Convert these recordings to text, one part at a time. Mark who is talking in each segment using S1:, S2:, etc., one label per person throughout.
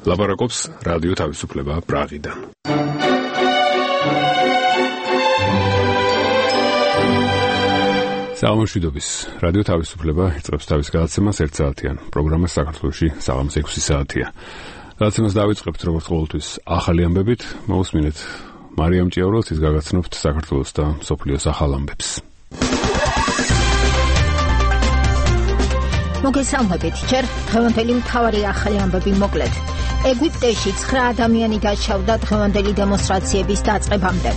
S1: ლაპარაკობს რადიო თავისუფლება პრაღიდან. საამშვიდობის რადიო თავისუფლება იწყებს თავის გადაცემას 1 საათიან. პროგრამა საქართველოში საღამოს 6 საათია. გადაცემას დავიწყებთ როგორც ყოველთვის ახალი ამბებით. მოусმინეთ მარიამ ჭიაურელს, ის გაგაცნობთ საქართველოს და მსოფლიოს ახალ ამბებს.
S2: მოგესალმებით, ჯერ დღევანდელი მთავარი ახალი ამბები მოკლედ. ეგვიპტეში 9 ადამიანი დაშავდა დღევანდელი დემონსტრაციების დაწყებამდე.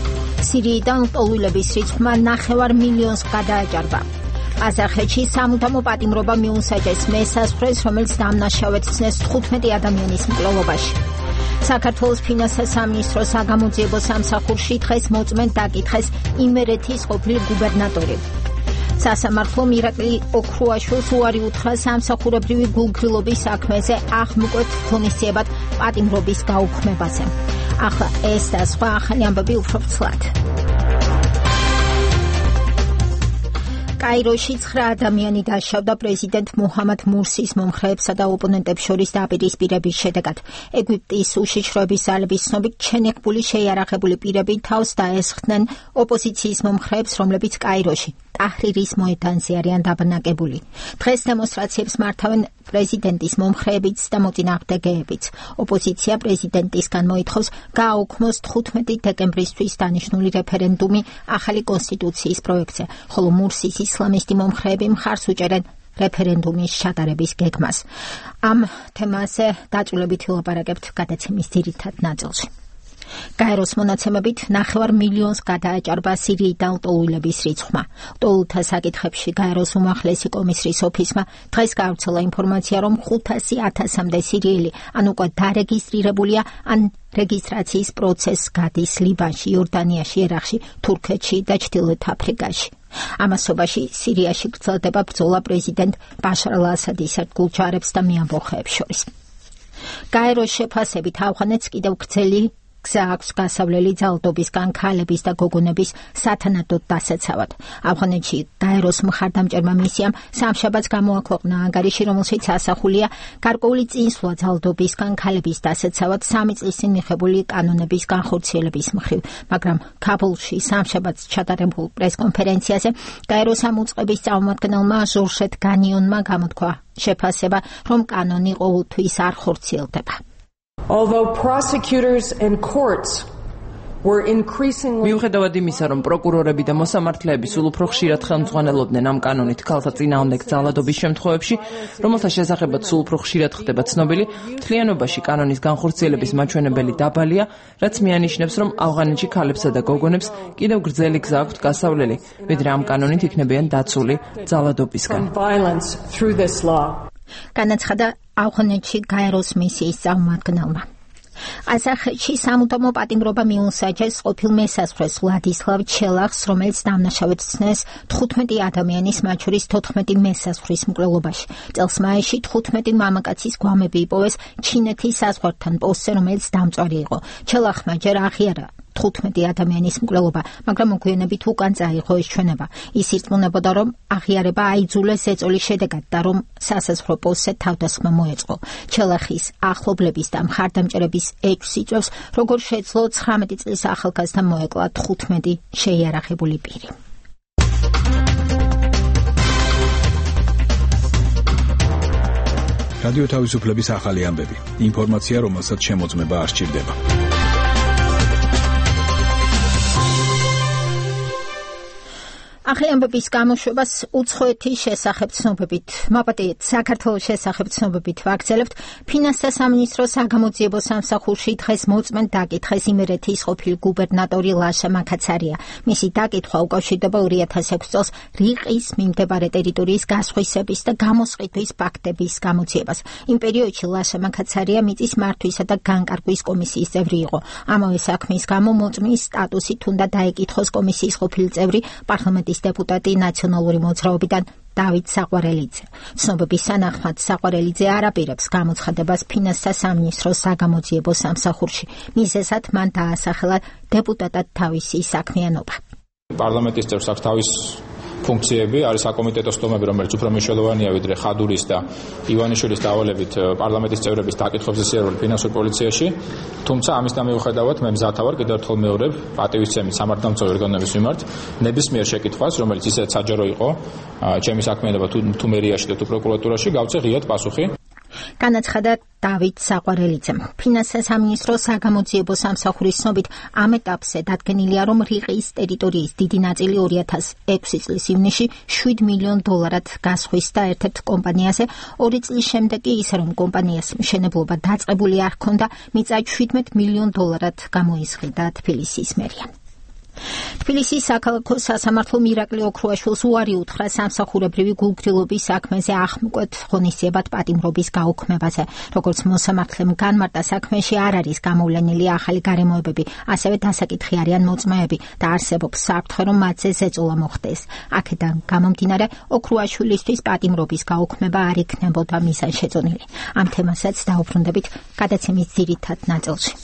S2: სირიიდან ლტოლვილების რიცხვმა 9 მილიონს გადააჭარბა. ყაზახეთში სამუდამო პატიმრობა მიუსაჯეს მესაზღვრეს, რომელიც დამნაშავედ ცნეს 15 ადამიანის მკვლელობაში. საქართველოს ფინანსთა სამინისტროს საგამოძიებო სამსახურში დღეს მოწმედ დაკითხეს იმერეთის ყოფილი გუბერნატორი. სასამართლომ ირაკლი ოქრუაშვილს უარი უთხრა სამსახურებრივი გულგრილობის საქმეზე აღმკვეთ ღონისძიებად პატიმრობის გაუქმებაზე. ახლა ეს და სხვა ახალი ამბები უფრო ფცლად. კაიროში 9 ადამიანი დაშავდა პრეზიდენტ მუჰამად მურსის მომხრეებსა და ოპონენტებს შორის დაპირისპირების შედეგად. ეგვიპტის უშიშროების ძალების ცნობით ჩენეგბული შეიარაღებული პირები თავს დაესხდნენ ოპოზიციის მომხრეებს, რომლებიც კაიროში ტაჰრირის მოედანზე არიან დაბანაკებული. დღეს დემონსტრაციებს მართავენ პრეზიდენტის მომხრეებიც და მოწინააღმდეგეებიც. ოპოზიცია პრეზიდენტისგან მოითხოვს გააუქმოს 15 დეკემბრისთვის დანიშნული რეფერენდუმი ახალი კონსტიტუციის პროექტზე, ხოლო მურსის ისლამისტი მომხრეები მხარს უჭერენ რეფერენდუმის ჩატარების გეგმას. ამ თემაზე დაწვრილებით ვილაპარაკებთ გადაცემის ძირითად ნაწილში. კაიროს მონაცემებით 9 მილიონს გადააჭარბა სირიიდან ლტოლვილების რიცხვმა. ლტოლვილთა საკითხებში კაიროს უმაღლესი კომისრის ოფისმა დღეს გავრცელა ინფორმაცია, რომ 500,000-მდე სირიელი ან უკვე დარეგისტრირებულია, ან რეგისტრაციის პროცესს გადის ლიბანში, იორდანიაში, ერაყში, თურქეთში და ჩრდილოეთ აფრიკაში. ამასობაში სირიაში გრძელდება ბრძოლა პრეზიდენტ ბაშარ ალ-ასადის ერთგულ ჯარებს და მეამბოხეებს შორის. კაიროს შეფასებით ავღანეთს კიდევ გრძელი გზა აქვს გასავლელი ძალადობისგან ქალების და გოგონების სათანადოდ დასაცავად. ავღანეთში კაიროს მხარდამჭერმა მისიამ სამშაბათს გამოაქვეყნა ანგარიში, რომელშიც ასახულია გარკვეული წინსვლა ძალადობისგან ქალების დასაცავად 3 წლის წინ მიღებული კანონების განხორციელების მხრივ, მაგრამ ქაბულში სამშაბათს ჩატარებულ პრესკონფერენციაზე კაიროს ამ უწყების წარმომადგენელმა ჟორჟეთ განიონმა გამოთქვა შეფასება, რომ კანონი ყოველთვის არ ხორციელდება.
S3: Although prosecutors and courts were increasingly
S4: მიუხედავად იმისა, რომ პროკურორები და მოსამართლეები სულ უფრო ხშირად ხელმძღვანელობდნენ ამ კანონით ქალთა წინააღმდეგ ძალადობის შემთხვევებში, რომელთა შესახებაც სულ უფრო ხშირად ხდება ცნობილი, მთლიანობაში კანონის განხორციელების მაჩვენებელი დაბალია, რაც მიანიშნებს, რომ ავღანეთში ქალებსა და გოგონებს კიდევ გრძელი გზა აქვთ გასავლელი, ვიდრე ამ კანონით იქნებიან დაცული ძალადობისგან.
S2: განაცხადა ავღანეთში კაიროს მისიის წარმომადგენელმა. ყაზახეთში სამუდამო პატიმრობა მიუსაჯეს ყოფილ მესაზღვრეს ვლადისლავ ჩელახს, რომელიც დამნაშავედ ცნეს 15 ადამიანის, მათ შორის 14 მესაზღვრის მკვლელობაში. წელს მაისში 15 მამაკაცის გვამები იპოვეს ჩინეთის საზღვართან პოსტზე, რომელიც დამწვარი იყო. ჩელახმა ჯერ აღიარა 15 ადამიანის მკვლელობა, მაგრამ მოგვიანებით უკან წაიღო ეს ჩვენება. ის ირწმუნებოდა, რომ აღიარება აიძულეს ზეწოლის შედეგად და რომ სასაზღვრო პოსტზე თავდასხმა მოეწყო. ჩელახის ახლობლების და მხარდამჭერების ეჭვს იწვევს, როგორ შეძლო 19 წლის ახალგაზრდამ მოეკლა 15 შეიარაღებული პირი.
S5: რადიო თავისუფლების ახალი ამბები. ინფორმაცია, რომელსაც შემოწმება არ სჭირდება.
S2: ახალი ამბების გამოშვებას უცხოეთის შესახებ ცნობებით, მაპატიეთ საქართველოს შესახებ ცნობებით ვაგრძელებთ. ფინანსთა სამინისტროს საგამოძიებო სამსახურში დღეს მოწმედ დაკითხეს იმერეთის ყოფილი გუბერნატორი ლაშა მაქაცარია. მისი დაკითხვა უკავშირდება 2006 წელს რიყის მიმდებარე ტერიტორიის გასხვისების და გამოსყიდვის ფაქტების გამოძიებას. იმ პერიოდში ლაშა მაქაცარია მიწის მართვისა და განკარგვის კომისიის წევრი იყო. ამავე საქმის გამო მოწმის სტატუსით უნდა დაეკითხოს კომისიის ყოფილი წევრი პარლამენტის დეპუტატი ნაციონალური მოძრაობიდან დავით საყვარელიძე. ცნობების სანახმად საყვარელიძე არ აპირებს გამოცხადებას ფინანსთა სამინისტროს საგამოძიებო სამსახურში. მიზეზად მან დაასახელა დეპუტატად თავისი საქმიანობა.
S6: პარლამენტის წევრს აქვს თავის ფუნქციები, არის საკომიტეტო სტომები, რომელიც უფრო მნიშვნელოვანია ვიდრე ხადურის და ივანიშვილის დავალებით პარლამენტის წევრების დაკითხვებზე სიარული ფინანსურ პოლიციაში. თუმცა ამის მიუხედავად მე მზათა ვარ კიდევ ერთხელ მეორებ პატივისცემით სამართალმცავი ორგანოების მიმართ ნებისმიერ შეკითხვას, რომელიც ისედაც საჯარო იყო, ჩემი საქმიანობა თუ მერიაში და თუ პროკურატურაში, გავცე ღიად პასუხი.
S2: განაცხადა დავით საყვარელიძემ. ფინანსთა სამინისტროს საგამოძიებო სამსახურის ცნობით ამ ეტაპზე დადგენილია, რომ რიყის ტერიტორიის დიდი ნაწილი 2006 წლის ივნისში $7 მილიონ გასხვისდა ერთ-ერთ კომპანიაზე, 2 წლის შემდეგ კი ისე, რომ კომპანიას მშენებლობა დაწყებული არ ჰქონდა, მიწა $17 მილიონ გამოისყიდა თბილისის მერია. თბილისის საქალაქო სასამართლომ ირაკლი ოქრუაშვილს უარი უთხრა სამსახურებრივი გულგრილობის საქმეზე ახმკვეთ ღონისძიებად პატიმრობის გაუქმებაზე. როგორც მოსამართლემ განმარტა, საქმეში არ არის გამოვლენილი ახალი გარემოებები, ასევე დასაკითხი არიან მოწმეები და არსებობს საფრთხე, რომ მათზე ზეწოლა მოხდეს. აქედან გამომდინარე, ოქრუაშვილისთვის პატიმრობის გაუქმება არ იქნებოდა მიზანშეწონილი. ამ თემასაც დაუბრუნდებით გადაცემის ძირითად ნაწილში.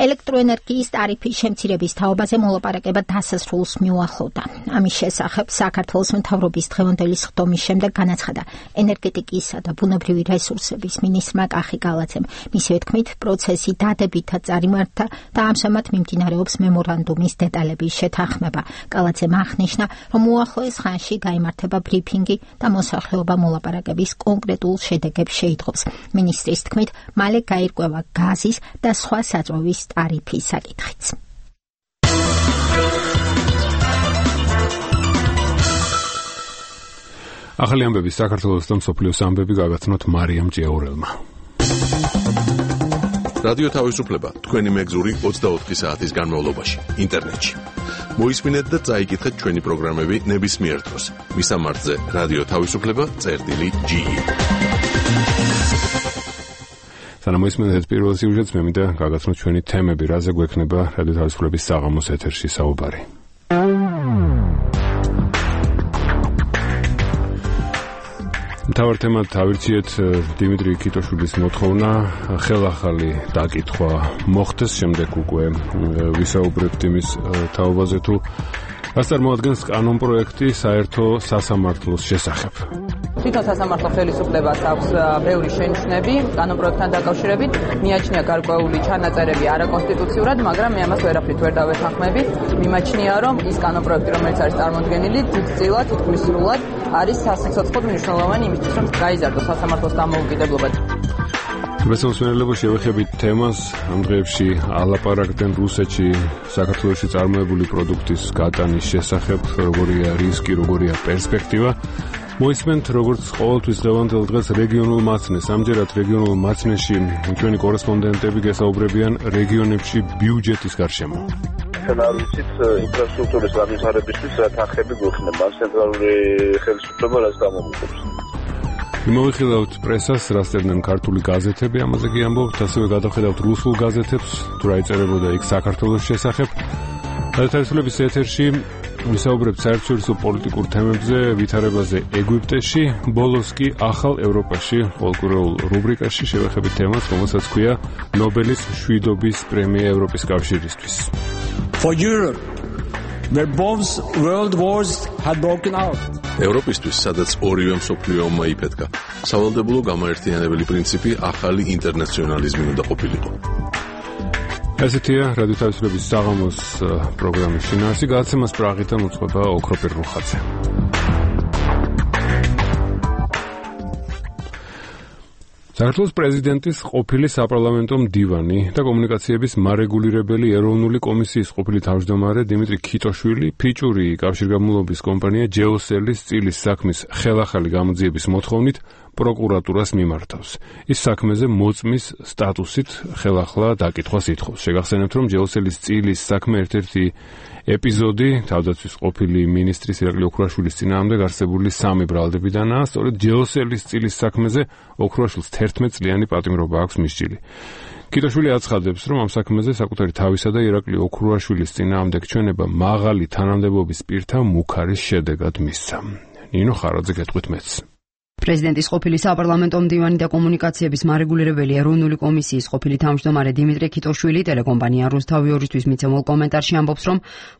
S2: ელექტროენერგიის ტარიფის შემცირების თაობაზე მოლაპარაკება დასასრულს მიუახლოვდა. ამის შესახებ საქართველოს მთავრობის დღევანდელი სხდომის შემდეგ განაცხადა ენერგეტიკისა და ბუნებრივი რესურსების მინისტრმა კახი გალაძემ. მისივე თქმით, პროცესი დადებითად წარიმართა და ამჟამად მიმდინარეობს მემორანდუმის დეტალების შეთანხმება. გალაძემ აღნიშნა, რომ უახლოეს ხანში გაიმართება ბრიფინგი და მოსახლეობა მოლაპარაკების კონკრეტულ შედეგებს შეიტყობს. მინისტრის თქმით, მალე გაირკვევა გაზის და სხვა საწვავის ტარიფის საკითხიც.
S1: ახალი ამბები საქართველოს და მსოფლიოს ამბები გაგაცნოთ მარიამ ჭიაურელმა.
S7: რადიო თავისუფლება თქვენი მეგზური 24 საათის განმავლობაში ინტერნეტში. მოისმინეთ და წაიკითხეთ ჩვენი პროგრამები ნებისმიერ დროს. მისამართზე რადიო თავისუფლება.ge. სანამ მოისმინეთ პირველ სიუჟეტს, მე მინდა გაგაცნოთ ჩვენი თემები, რაზე გვექნება რადიო თავისუფლების საღამოს ეთერში საუბარი. მთავარ თემად ავირჩიეთ დიმიტრი კიტოშვილის მოთხოვნა ხელახალი დაკითხვა მოხდეს, შემდეგ უკვე ვისაუბრებთ იმის თაობაზე თუ რას წარმოადგენს კანონპროექტი საერთო სასამართლოს შესახებ.
S4: თვითონ სასამართლო ხელისუფლებას აქვს ბევრი შენიშვნები კანონპროექტთან დაკავშირებით, მიაჩნია გარკვეული ჩანაწერები არაკონსტიტუციურად, მაგრამ მე ამას ვერაფრით ვერ დავეთანხმები. მიმაჩნია, რომ ის კანონპროექტი, რომელიც არის წარმოდგენილი, დიდწილად, თითქმის სრულად არის სასიცოცხლოდ მნიშვნელოვანი იმისთვის, რომ გაიზარდოს სასამართლოს დამოუკიდებლობა.
S1: მესამსმენელებო შევეხებით თემას, ამ დღეებში ალაპარაკდნენ რუსეთში საქართველოში წარმოებული პროდუქტის გატანის შესახებ, როგორია რისკი, როგორია პერსპექტივა. მოისმენთ, როგორც ყოველთვის დღევანდელ დღეს რეგიონულ მაცნეს. ამჯერად რეგიონულ მაცნეში ჩვენი კორესპონდენტები გესაუბრებიან რეგიონებში ბიუჯეტის გარშემო.
S8: არ ვიცით ინფრასტრუქტურის განვითარებისთვის რა თანხები გვექნება, ცენტრალური ხელისუფლება რას გამოგვიყვებს.
S1: მოვიხილავთ პრესას, რას წერდნენ ქართული გაზეთები, ამაზე კი ამბობთ, ასევე გადავხედავთ რუსულ გაზეთებს, თუ რა იწერებოდა იქ საქართველოს შესახებ. თავისუფლების ეთერში ვისაუბრებთ საერთაშორისო პოლიტიკურ თემებზე, ვითარებაზე ეგვიპტეში, ბოლოს კი ახალ ევროპაში, ყოველკვირეულ რუბრიკაში შევეხებით თემას, რომელსაც ჰქვია ნობელის მშვიდობის პრემია ევროპის კავშირისთვის.
S9: For Europe, where both world wars had broken out.
S7: ევროპისთვის, სადაც ორივე მსოფლიო ომმა იფეთქა, სავალდებულო გამაერთიანებელი პრინციპი ახალი ინტერნაციონალიზმი უნდა ყოფილიყო.
S1: ესეთია რადიო თავისუფლების საღამოს პროგრამის შინაარსი, გადაცემას პრაღიდან უწყობა ოქროპირ რუხაძე. საქართველოს პრეზიდენტის ყოფილი საპარლამენტო მდივანი და კომუნიკაციების მარეგულირებელი ეროვნული კომისიის ყოფილი თავმჯდომარე დიმიტრი კიტოშვილი ფიჭური კავშირგაბმულობის კომპანია ჯეოსელის წილის საქმის ხელახალი გამოძიების მოთხოვნით პროკურატურას მიმართავს. ის საქმეზე მოწმის სტატუსით ხელახლა დაკითხვას ითხოვს. შეგახსენებთ, რომ ჯეოსელის წილის საქმე ერთ-ერთი ეპიზოდი თავდაცვის ყოფილი მინისტრის ირაკლი ოქრუაშვილის წინააღმდეგ არსებული 3 ბრალდებიდანაა. სწორედ ჯეოსელის წილის საქმეზე ოქრუაშვილს 11 წლიანი პატიმრობა აქვს მისჯილი. კიტოშვილი აცხადებს, რომ ამ საქმეზე საკუთარი თავისა და ირაკლი ოქრუაშვილის წინააღმდეგ ჩვენება მაღალი თანამდებობის პირთა მუქარის შედეგად მისცა. ნინო ხარაძე გეტყვით მეც.
S10: პრეზიდენტის ყოფილი საპარლამენტო მდივანი და კომუნიკაციების მარეგულირებელი ეროვნული კომისიის ყოფილი თავმჯდომარე დიმიტრი ქიტოშვილი ტელეკომპანია რუსთავი 2-ისთვის მიცემულ კომენტარში ამბობს, რომ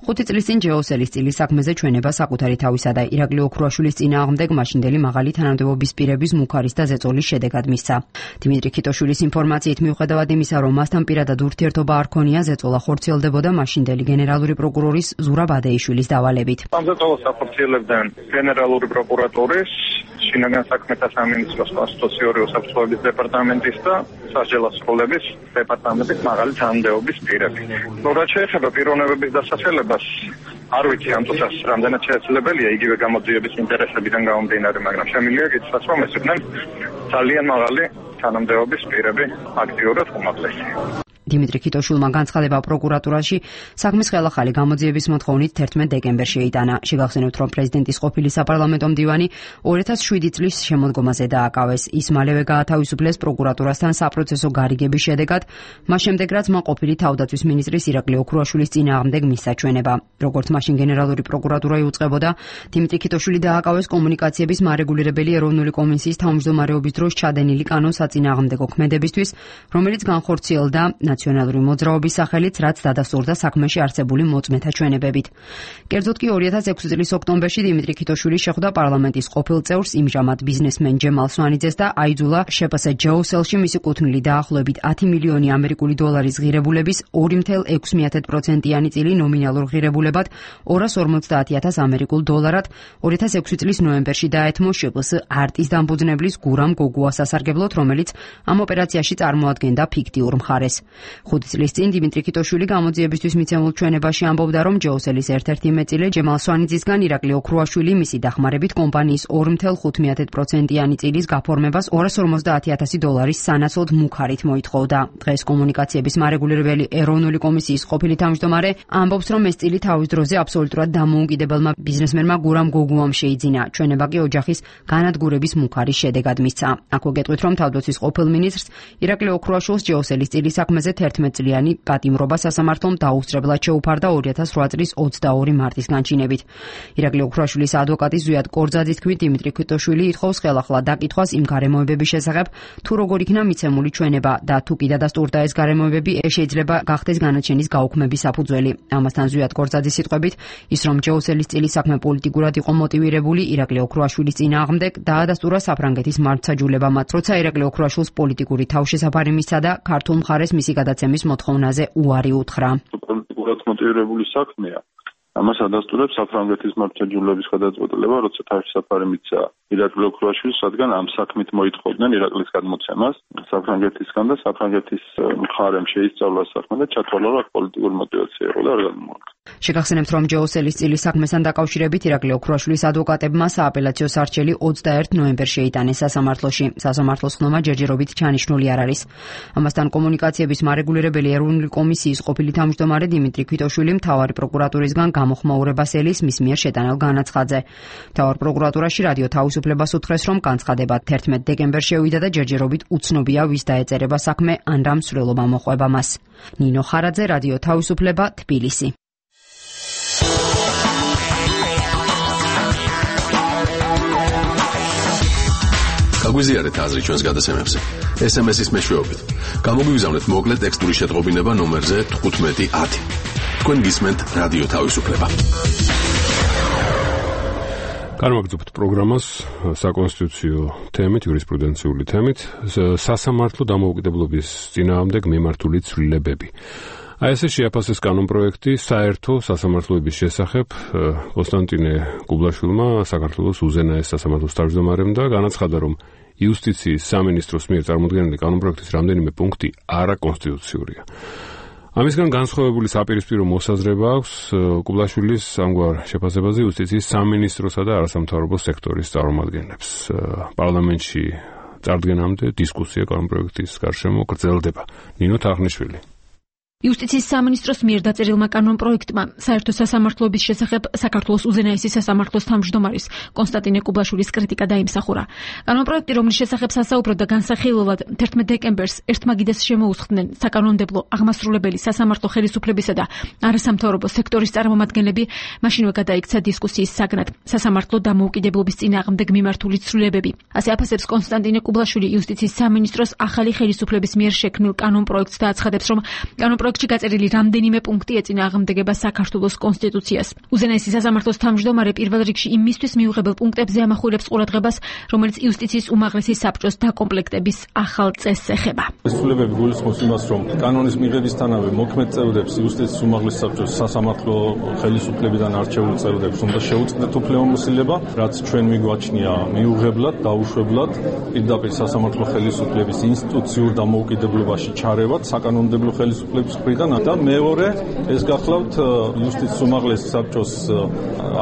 S10: 5 წლის წინ ჯეოსელის წილის საქმეზე ჩვენება საკუთარი თავისა და ირაკლი ოქრუაშვილის წინააღმდეგ მაშინდელი მაღალი თანამდებობის პირების მუქარის და ზეწოლის შედეგად მისცა. დიმიტრი ქიტოშვილის ინფორმაციით მიუხედავად იმისა, რომ მასთან პირადად ურთიერთობა არ ქონია, ზეწოლა ხორციელდებოდა მაშინდელი გენერალური პროკურორის ზურაბ ადეიშვილის დავალებით.
S11: ამ ზეწოლას ახორციელებდნენ გენერალური პროკურატურის, შინაგან საქმეთა სამინისტროს კონსტიტუციური უსაფრთხოების დეპარტამენტის და სასჯელო სრულების დეპარტამენტის მაღალი თანამდებობის პირები. რაც შეეხება პიროვნებების დასახელებას, არ ვიცი ამ წუთას რამდენად შესაძლებელია იგივე გამოძიების ინტერესებიდან გამომდინარე, მაგრამ შემიძლია გითხრათ, რომ ეს იყვნენ ძალიან მაღალი თანამდებობის პირები, აქტიურად უმაღლესი.
S10: დიმიტრი ქიტოშვილმა განცხადება პროკურატურაში საქმის ხელახალი გამოძიების მოთხოვნით 11 დეკემბერში შეიტანა. შეგახსენებთ, რომ პრეზიდენტის ყოფილი საპარლამენტო მდივანი 2007 წლის შემოდგომაზე დააკავეს. ის მალევე გაათავისუფლეს პროკურატურასთან საპროცესო გარიგების შედეგად, მას შემდეგ რაც მან ყოფილი თავდაცვის მინისტრის ირაკლი ოქრუაშვილის წინააღმდეგ მისცა ჩვენება. როგორც მაშინ გენერალური პროკურატურა იუწყებოდა, დიმიტრი ქიტოშვილი დააკავეს კომუნიკაციების მარეგულირებელი ეროვნული კომისიის თავმჯდომარეობის დროს ჩადენილი კანონსაწინააღმდეგო ქმედებისთვის, რომელიც განხორციელდა ნაციონალური მოძრაობის სახელით, რაც დადასტურდა საქმეში არსებული მოწმეთა ჩვენებებით. კერძოდ კი 2006 წლის ოქტომბერში დიმიტრი ქიტოშვილი შეხვდა პარლამენტის ყოფილ წევრს იმჟამად ბიზნესმენ ჯემალ სვანიძეს და აიძულა შეფს ჯეოსელში მისი კუთვნილი დაახლოებით 10 მილიონი ამერიკული დოლარის ღირებულების 2.6%-იანი წილი ნომინალურ ღირებულებად 250,000 ამერიკულ დოლარად 2006 წლის ნოემბერში დაეთმო შეფს არტის დამფუძნებლის გურამ გოგუას სასარგებლოდ, რომელიც ამ ოპერაციაში წარმოადგენდა ფიქტიურ მხარეს. 5 წლის წინ დიმიტრი ქიტოშვილი გამოძიებისთვის მიცემულ ჩვენებაში ამბობდა, რომ ჯეოსელის ერთ-ერთი მეტწილე ჯემალ სვანიძისგან ირაკლი ოქრუაშვილი მისი დახმარებით კომპანიის 2.5%-იანი წილის გაფორმებას 250,000 დოლარის სანაცვლოდ მუქარით მოითხოვდა. დღეს კომუნიკაციების მარეგულირებელი ეროვნული კომისიის ყოფილი თავმჯდომარე ამბობს, რომ ეს წილი თავის დროზე აბსოლუტურად დამოუკიდებელმა ბიზნესმენმა გურამ გოგუამ შეიძინა. ჩვენება კი ოჯახის განადგურების მუქარის შედეგად მისცა. აქვე გეტყვით, რომ თავდაცვის ყოფილ მინისტრს ირაკლი ოქრუაშვილს ჯეოსელის წილის საქმეზე 11 წლიანი პატიმრობა სასამართლომ დაუსწრებლად შეუფარდა 2008 წლის 22 მარტის განჩინებით. ირაკლი ოქრუაშვილის ადვოკატი ზვიად კორძაძის თქმით, დიმიტრი ქიტოშვილი ითხოვს ხელახლა დაკითხვას იმ გარემოებების შესახებ, თუ როგორ იქნა მიცემული ჩვენება და თუ კი დადასტურდა ეს გარემოებები, შეიძლება გახდეს განაჩენის გაუქმების საფუძველი. ამასთან ზვიად კორძაძის სიტყვებით, ის რომ ჯეოსელის წილის საქმე პოლიტიკურად იყო მოტივირებული ირაკლი ოქრუაშვილის წინააღმდეგ, დაადასტურა საფრანგეთის მართლმსაჯულებამ, როცა ირაკლი ოქრუაშვილს პოლიტიკური თავშესაფარი მისცა და ქართულ მხარეს მისი გადაცემის მოთხოვნაზე უარი უთხრა.
S11: პოლიტიკურად მოტივირებული საქმეა. ამას ადასტურებს საფრანგეთის მართლმსაჯულების გადაწყვეტილება, როცა თავშესაფარი მისცა ირაკლი ოქრუაშვილს, რადგან ამ საქმით მოითხოვდნენ ირაკლის გადმოცემას საფრანგეთისგან და საფრანგეთის მხარემ შეისწავლა საქმე და ჩათვალა, რომ პოლიტიკური მოტივაცია იყო და არ გამოაკლა.
S10: შეგახსენებთ, რომ ჯეოსელის წილის საქმესთან დაკავშირებით ირაკლი ოქრუაშვილის ადვოკატებმა სააპელაციო სარჩელი 21 ნოემბერში შეიტანეს სასამართლოში. სასამართლოს ხდომა ჯერჯერობით ჩანიშნული არ არის. ამასთან კომუნიკაციების მარეგულირებელი ეროვნული კომისიის ყოფილი თავმჯდომარე დიმიტრი ქიტოშვილი მთავარი პროკურატურისგან გამოხმაურებას ელის მის მიერ შეტანილ განაცხადზე. მთავარ პროკურატურაში რადიო თავისუფლებას უთხრეს, რომ განცხადება 11 დეკემბერში შევიდა და ჯერჯერობით უცნობია, ვის დაეწერება საქმე ან რა მსვლელობა მოყვება მას. ნინო ხარაძე, რადიო თავისუფლება, თბილისი.
S7: გაგვიზიარეთ აზრი ჩვენს გადაცემებზე. SMS-ის მეშვეობით. გამოგვიგზავნეთ მოკლე ტექსტური შეტყობინება ნომერზე 1510. თქვენ გისმენთ რადიო თავისუფლება.
S1: განვაგრძობთ პროგრამას საკონსტიტუციო თემით, იურისპრუდენციული თემით, სასამართლო დამოუკიდებლობის წინააღმდეგ მიმართული ცვლილებები. აი ესე შეაფასეს კანონპროექტი საერთო სასამართლოების შესახებ კონსტანტინე გუბლაშვილმა საქართველოს უზენაეს სასამართლოს თავმჯდომარემ და განაცხადა, რომ იუსტიციის სამინისტროს მიერ წარმოდგენილი კანონპროექტის რამდენიმე პუნქტი არაკონსტიტუციურია. ამისგან განსხვავებული საპირისპირო მოსაზრება აქვს გუბლაშვილის ამგვარ შეფასებაზე იუსტიციის სამინისტროსა და არასამთავრობო სექტორის წარმომადგენლებს. პარლამენტში წარდგენამდე დისკუსია კანონპროექტის გარშემო გრძელდება. ნინო თახნიშვილი.
S12: იუსტიციის სამინისტროს მიერ დაწერილმა კანონპროექტმა საერთო სასამართლოების შესახებ საქართველოს უზენაესი სასამართლოს თავმჯდომარის კონსტანტინე კუბლაშვილის კრიტიკა დაიმსახურა. კანონპროექტი, რომლის შესახებ სასაუბროდ და განსახილველად 11 დეკემბერს ერთმაგიდეს შემოუსხდნენ საკანონმდებლო, აღმასრულებელი, სასამართლო ხელისუფლებისა და არასამთავრობო სექტორის წარმომადგენლები, მაშინვე გადაიქცა დისკუსიის საგნად სასამართლო დამოუკიდებლობის წინააღმდეგ მიმართული ცვლილებები. ასე აფასებს კონსტანტინე კუბლაშვილი იუსტიციის სამინისტროს ახალი ხელისუფლების მიერ შექმნილ კანონპროექტს და აცხადებს, რომ პროექტში გაწერილი რამდენიმე პუნქტი ეწინააღმდეგება საქართველოს კონსტიტუციას. უზენაესი სასამართლოს თავმჯდომარე პირველ რიგში იმისთვის მიუღებელ პუნქტებზე ამახვილებს ყურადღებას, რომელიც იუსტიციის უმაღლესი საბჭოს დაკომპლექტების ახალ წესს ეხება.
S13: ცვლილებები გულისხმობს იმას, რომ კანონის მიღებისთანავე მოქმედ წევრებს იუსტიციის უმაღლესი საბჭოს სასამართლო ხელისუფლებიდან არჩეული წევრებს უნდა შეუწყდეთ უფლებამოსილება, რაც ჩვენ მიგვაჩნია მიუღებლად, დაუშვებლად, პირდაპირ სასამართლო ხელისუფლების ინსტიტუციურ დამოუკიდებლობაში ჩარევად საკანონმდებლო ხელისუფლების მხრიდან და მეორე ეს გახლავთ იუსტიციის უმაღლესი საბჭოს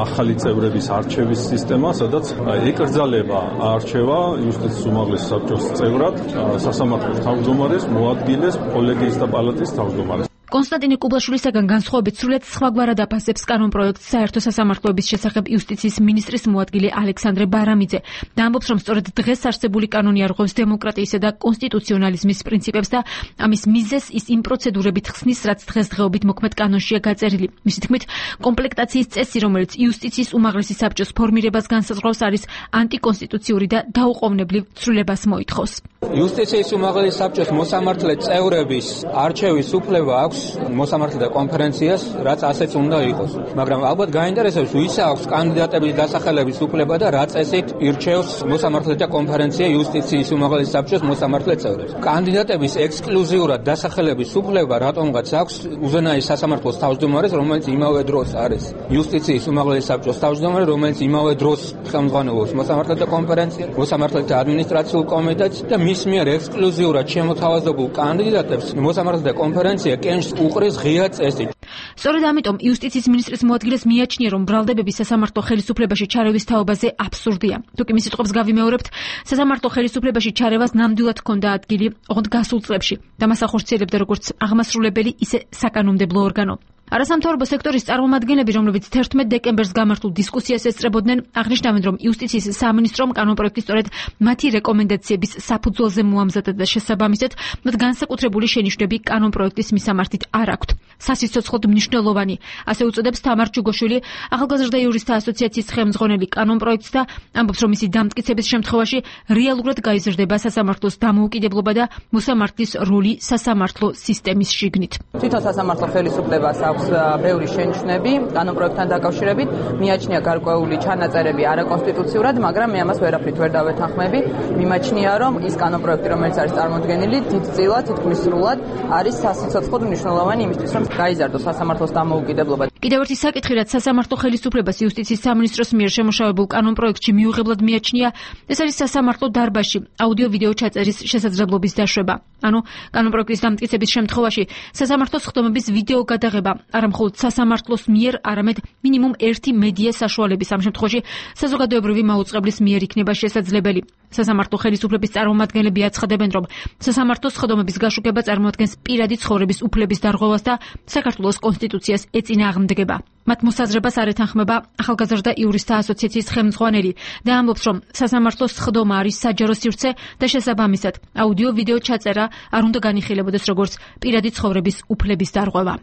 S13: ახალი წევრების არჩევის სისტემა, სადაც ეკრძალება არჩევა იუსტიციის უმაღლესი საბჭოს წევრად სასამართლოს თავმჯდომარეს, მოადგილეს კოლეგიის და პალატის თავმჯდომარეს.
S12: კონსტანტინე კუბლაშვილისაგან განსხვავებით სრულიად სხვაგვარად აფასებს კანონპროექტს საერთო სასამართლოების შესახებ იუსტიციის მინისტრის მოადგილე ალექსანდრე ბარამიძე და ამბობს, რომ სწორედ დღეს არსებული კანონი არღვევს დემოკრატიისა და კონსტიტუციონალიზმის პრინციპებს და ამის მიზეზს ის იმ პროცედურებით ხსნის, რაც დღესდღეობით მოქმედ კანონშია გაწერილი. მისი თქმით, კომპლექტაციის წესი, რომელიც იუსტიციის უმაღლესი საბჭოს ფორმირებას განსაზღვრავს, არის ანტიკონსტიტუციური და დაუყოვნებლივ ცვლილებას მოითხოვს.
S14: იუსტიციის უმაღლესი საბჭოს მოსამართლე წევრების არჩევის უფლება აქვს მოსამართლეთა კონფერენციას, რაც ასეც უნდა იყოს. მაგრამ ალბათ გაინტერესებს, ვის აქვს კანდიდატების დასახელების უფლება და რა წესით ირჩევს მოსამართლეთა კონფერენცია იუსტიციის უმაღლესი საბჭოს მოსამართლე წევრებს. კანდიდატების ექსკლუზიურად დასახელების უფლება რატომღაც აქვს უზენაეს სასამართლოს თავმჯდომარეს, რომელიც იმავე დროს არის იუსტიციის უმაღლესი საბჭოს თავმჯდომარე, რომელიც იმავე დროს ხელმძღვანელობს მოსამართლეთა კონფერენციას, მოსამართლეთა ადმინისტრაციულ კომიტეტს და მის მიერ ექსკლუზიურად შემოთავაზებულ კანდიდატებს მოსამართლეთა კონფერენცია უყრის ღია წესით.
S12: სწორედ ამიტომ იუსტიციის მინისტრის მოადგილეს მიაჩნია, რომ ბრალდებები სასამართლო ხელისუფლებაში ჩარევის თაობაზე აბსურდია. თუკი მის სიტყვებს გავიმეორებთ, სასამართლო ხელისუფლებაში ჩარევას ნამდვილად ჰქონდა ადგილი ოღონდ გასულ წლებში და მას ახორციელებდა როგორც აღმასრულებელი, ისე საკანონმდებლო ორგანო. არასამთავრობო სექტორის წარმომადგენლები, რომლებიც 11 დეკემბერს გამართულ დისკუსიას ესწრებოდნენ, აღნიშნავენ, რომ იუსტიციის სამინისტრომ კანონპროექტი სწორედ მათი რეკომენდაციების საფუძველზე მოამზადა და შესაბამისად, მათ განსაკუთრებული შენიშვნები კანონპროექტის მისამართით არ აქვთ. სასიცოცხლოდ მნიშვნელოვანი, ასე უწოდებს თამარ ჯუგოშვილი, ახალგაზრდა იურისტთა ასოციაციის ხელმძღვანელი კანონპროექტს და ამბობს, რომ მისი დამტკიცების შემთხვევაში რეალურად გაიზრდება სასამართლოს დამოუკიდებლობა და მოსამართლის როლი სასამართლო სისტემის შიგნით.
S4: თვითონ სასამართლო ხელისუფლებას ბევრი შენიშვნები კანონპროექტთან დაკავშირებით, მიაჩნია გარკვეული ჩანაწერები არაკონსტიტუციურად, მაგრამ მე ამას ვერაფრით ვერ დავეთანხმები. მიმაჩნია, რომ ის კანონპროექტი, რომელიც არის წარმოდგენილი, დიდწილად, თითქმის სრულად არის სასიცოცხლოდ მნიშვნელოვანი იმისთვის, რომ გაიზარდოს სასამართლოს დამოუკიდებლობა.
S12: კიდევ ერთი საკითხი, რაც სასამართლო ხელისუფლებას იუსტიციის სამინისტროს მიერ შემოშავებულ კანონპროექტში მიუღებლად მიაჩნია, ეს არის სასამართლო დარბაზში აუდიო-ვიდეო ჩაწერის შესაძლებლობის დაშვება. ანუ კანონპროექტის დამტკიცების შემთხვევაში სასამართლოს ხდომების ვიდეო გადაღება არა მხოლოდ სასამართლოს მიერ, არამედ მინიმუმ ერთი მედია საშუალების, ამ შემთხვევაში საზოგადოებრივი მაუწყებლის მიერ იქნება შესაძლებელი. სასამართლო ხელისუფლების წარმომადგენლები აცხადებენ, რომ სასამართლოს ხდომების გაშუქება წარმოადგენს პირადი ცხოვრების უფლების დარღვევას და საქართველოს კონსტიტუციას ეწინააღმდეგება. მათ მოსაზრებას არ ეთანხმება ახალგაზრდა იურისტთა ასოციაციის ხელმძღვანელი და ამბობს, რომ სასამართლოს ხდომა არის საჯარო სივრცე და შესაბამისად აუდიო-ვიდეო ჩაწერა არ უნდა განიხილებოდეს როგორც პირადი ცხოვრების უფლების დარღვევა.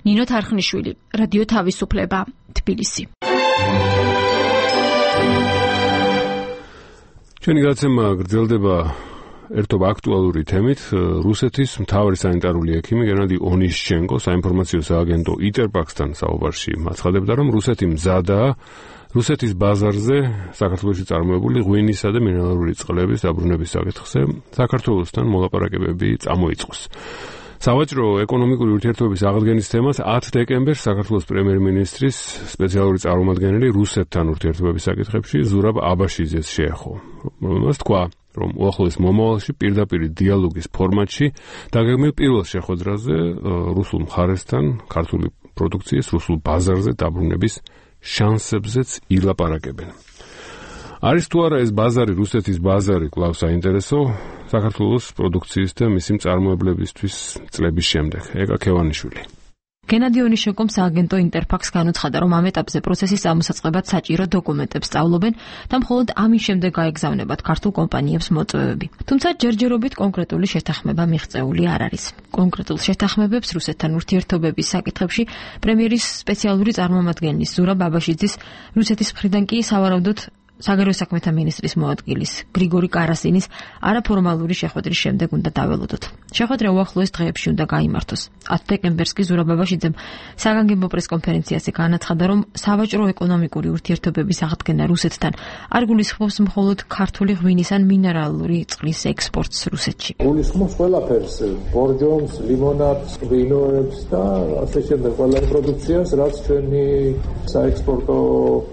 S12: ნინო თარხნიშვილი, რადიო თავისუფლება, თბილისი.
S1: ჩვენი გადაცემა გრძელდება ერთობა აქტუალური თემით. რუსეთის მთავარი სანიტარული ექიმი გენადი ონიშჩენკო საინფორმაციო სააგენტო იტერფაქსთან საუბარში აცხადებდა, რომ რუსეთი მზადაა რუსეთის ბაზარზე საქართველოში წარმოებული ღვინისა და მინერალური წყლების დაბრუნების საკითხზე საქართველოსთან მოლაპარაკებები წამოიწყოს. სავაჭრო ეკონომიკური ურთიერთობების აღდგენის თემას 10 დეკემბერს საქართველოს პრემიერ-მინისტრის სპეციალური წარმომადგენელი რუსეთთან ურთიერთობების საკითხებში ზურაბ აბაშიძეს შეეხო. რომელმაც თქვა, რომ უახლოეს მომავალში პირდაპირ დიალოგის ფორმატში დაგეგმილ პირველ შეხვედრაზე რუსულ მხარესთან ქართული პროდუქციის რუსულ ბაზარზე დაბრუნების შანსებზეც ილაპარაკებენ. არის თუ არა ეს ბაზარი, რუსეთის ბაზარი კვლავ საინტერესო საქართველოს პროდუქციის და მისი მწარმოებლებისთვის წლების შემდეგ. ეკა ქევანიშვილი.
S12: გენადი ონიშეკომ სააგენტო ინტერფაქს განუცხადა, რომ ამ ეტაპზე პროცესის ამოსაწყებად საჭირო დოკუმენტებს სწავლობენ და მხოლოდ ამის შემდეგ გაეგზავნებათ ქართულ კომპანიებს მოწვევები. თუმცა ჯერჯერობით კონკრეტული შეთანხმება მიღწეული არ არის. კონკრეტულ შეთანხმებებს რუსეთთან ურთიერთობების საკითხებში პრემიერის სპეციალური წარმომადგენლის ზურაბ აბაშიძის, რუსეთის მხრიდან კი სავარაუდოდ საგარეო საქმეთა მინისტრის მოადგილის გრიგორი კარასინის არაფორმალური შეხვედრის შემდეგ უნდა დაველოდოთ. შეხვედრა უახლოეს დღეებში უნდა გაიმართოს. 10 დეკემბერს კი ზურაბ აბაშიძემ საგანგებო პრესკონფერენციაზე განაცხადა, რომ სავაჭრო ეკონომიკური ურთიერთობების აღდგენა რუსეთთან არ გულისხმობს მხოლოდ ქართული ღვინის ან მინერალური წყლის ექსპორტს რუსეთში.
S15: გულისხმობს ყველაფერს, ბორჯომს, ლიმონადს, ღვინოებს და ასე შემდეგ ყველა პროდუქციას, რაც ჩვენი საექსპორტო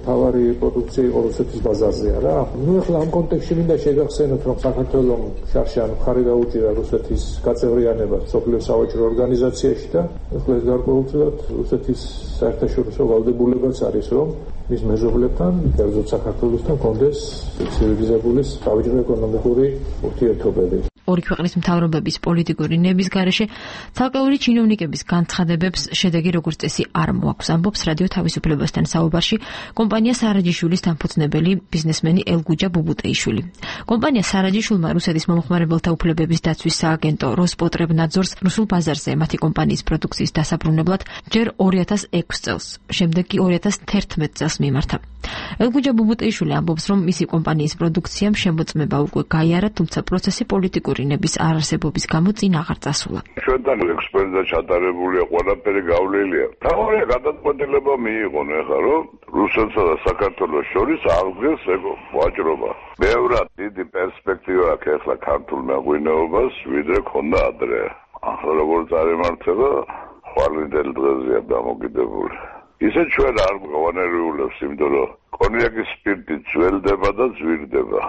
S15: თავარი პროდუქცია იყო რუსეთის ბაზარზეა რა. ნუ ახლა ამ კონტექსტში მინდა შეგახსენოთ, რომ საქართველოს შარშან მხარი დაუჭირა რუსეთის გაწევრიანებას სოფლიო სავაჭრო ორგანიზაციაში და ახლა ეს გარკვეულწილად რუსეთის საერთაშორისო ვალდებულებაც არის, რომ მის მეზობლებთან, კერძოდ საქართველოსთან კონდეს ცივილიზებული სავაჭრო ეკონომიკური ურთიერთობები.
S12: ორი ქვეყნის მთავრობების პოლიტიკური ნების გარეშე ცალკეული ჩინოვნიკების განცხადებებს შედეგი როგორც წესი არ მოაქვს, ამბობს რადიო თავისუფლებასთან საუბარში კომპანია სარაჯიშვილის დამფუძნებელი ბიზნესმენი ელგუჯა ბუბუტეიშვილი. კომპანია სარაჯიშვილმა რუსეთის მომხმარებელთა უფლებების დაცვის სააგენტო როსპოტრებნაძორს რუსულ ბაზარზე მათი კომპანიის პროდუქციის დასაბრუნებლად ჯერ 2006 წელს, შემდეგ კი 2011 წელს მიმართა. ელგუჯა ბუბუტეიშვილი ამბობს, რომ მისი კომპანიის პროდუქციამ შემოწმება უკვე გაიარა, თუმცა პროცესი პოლიტიკური ნების არარსებობის გამო წინ აღარ წასულა.
S16: ჩვენთან ექსპერტთა ჩატარებულია ყველაფერი გავლილია. თავი გადაწყვეტილება მიიღონ ახლა, რომ რუსეთსა და საქართველოს შორის აღდგეს ვაჭრობა. ბევრად დიდი პერსპექტივა აქვს ახლა ქართულ მეღვინეობას, ვიდრე ქონდა ადრე. ახლა როგორც არემართება, ხვალინდელ დღეზეა დამოკიდებული. ისე ჩვენ არ გავანერიულებს, იმიტომ რომ კონიაკის სპირტი ძველდება და ძვირდება.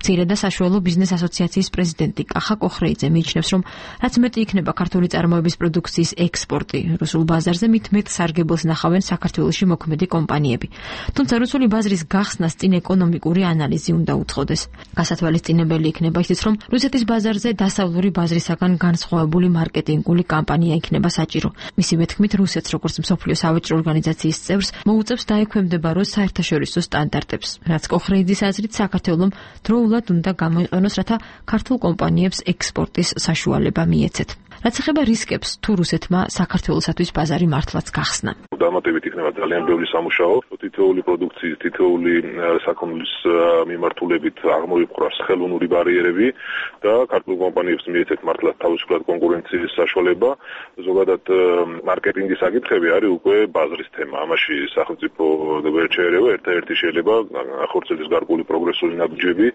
S12: მცირე და საშუალო ბიზნეს ასოციაციის პრეზიდენტი კახა კოხრეიძე მიიჩნევს, რომ რაც მეტი იქნება ქართული წარმოების პროდუქციის ექსპორტი რუსულ ბაზარზე, მით მეტ სარგებელს ნახავენ საქართველოში მოქმედი კომპანიები. თუმცა რუსული ბაზრის გახსნას წინ ეკონომიკური ანალიზი უნდა უწყოდეს. გასათვალისწინებელი იქნება ისიც, რომ რუსეთის ბაზარზე დასავლური ბაზრისაგან განსხვავებული მარკეტინგული კამპანია იქნება საჭირო. მისივე თქმით, რუსეთს როგორც მსოფლიო სავაჭრო ორგანიზაციის წევრს მოუწევს დაექვემდებაროს საერთაშორისო სტანდარტებს, რაც კოხრეიძის აზრით საქართველომ დროულად უნდა გამოიყენოს, რათა ქართულ კომპანიებს ექსპორტის საშუალება მიეცეთ. რაც ეხება რისკებს, თუ რუსეთმა საქართველოსათვის ბაზარი მართლაც გახსნა.
S17: დამატებით იქნება ძალიან ბევრი სამუშაო, თითოეული პროდუქციის, თითოეული საქონლის მიმართულებით აღმოიფხვრას ხელოვნური ბარიერები და ქართულ კომპანიებს მიეცეთ მართლაც თავისუფლად კონკურენციის საშუალება. ზოგადად მარკეტინგის საკითხები არის უკვე ბაზრის თემა. ამაში სახელმწიფო ვერ შეერევა, ერთადერთი შეიძლება ახორციელოს გარკვეული პროგრესული ნაბიჯები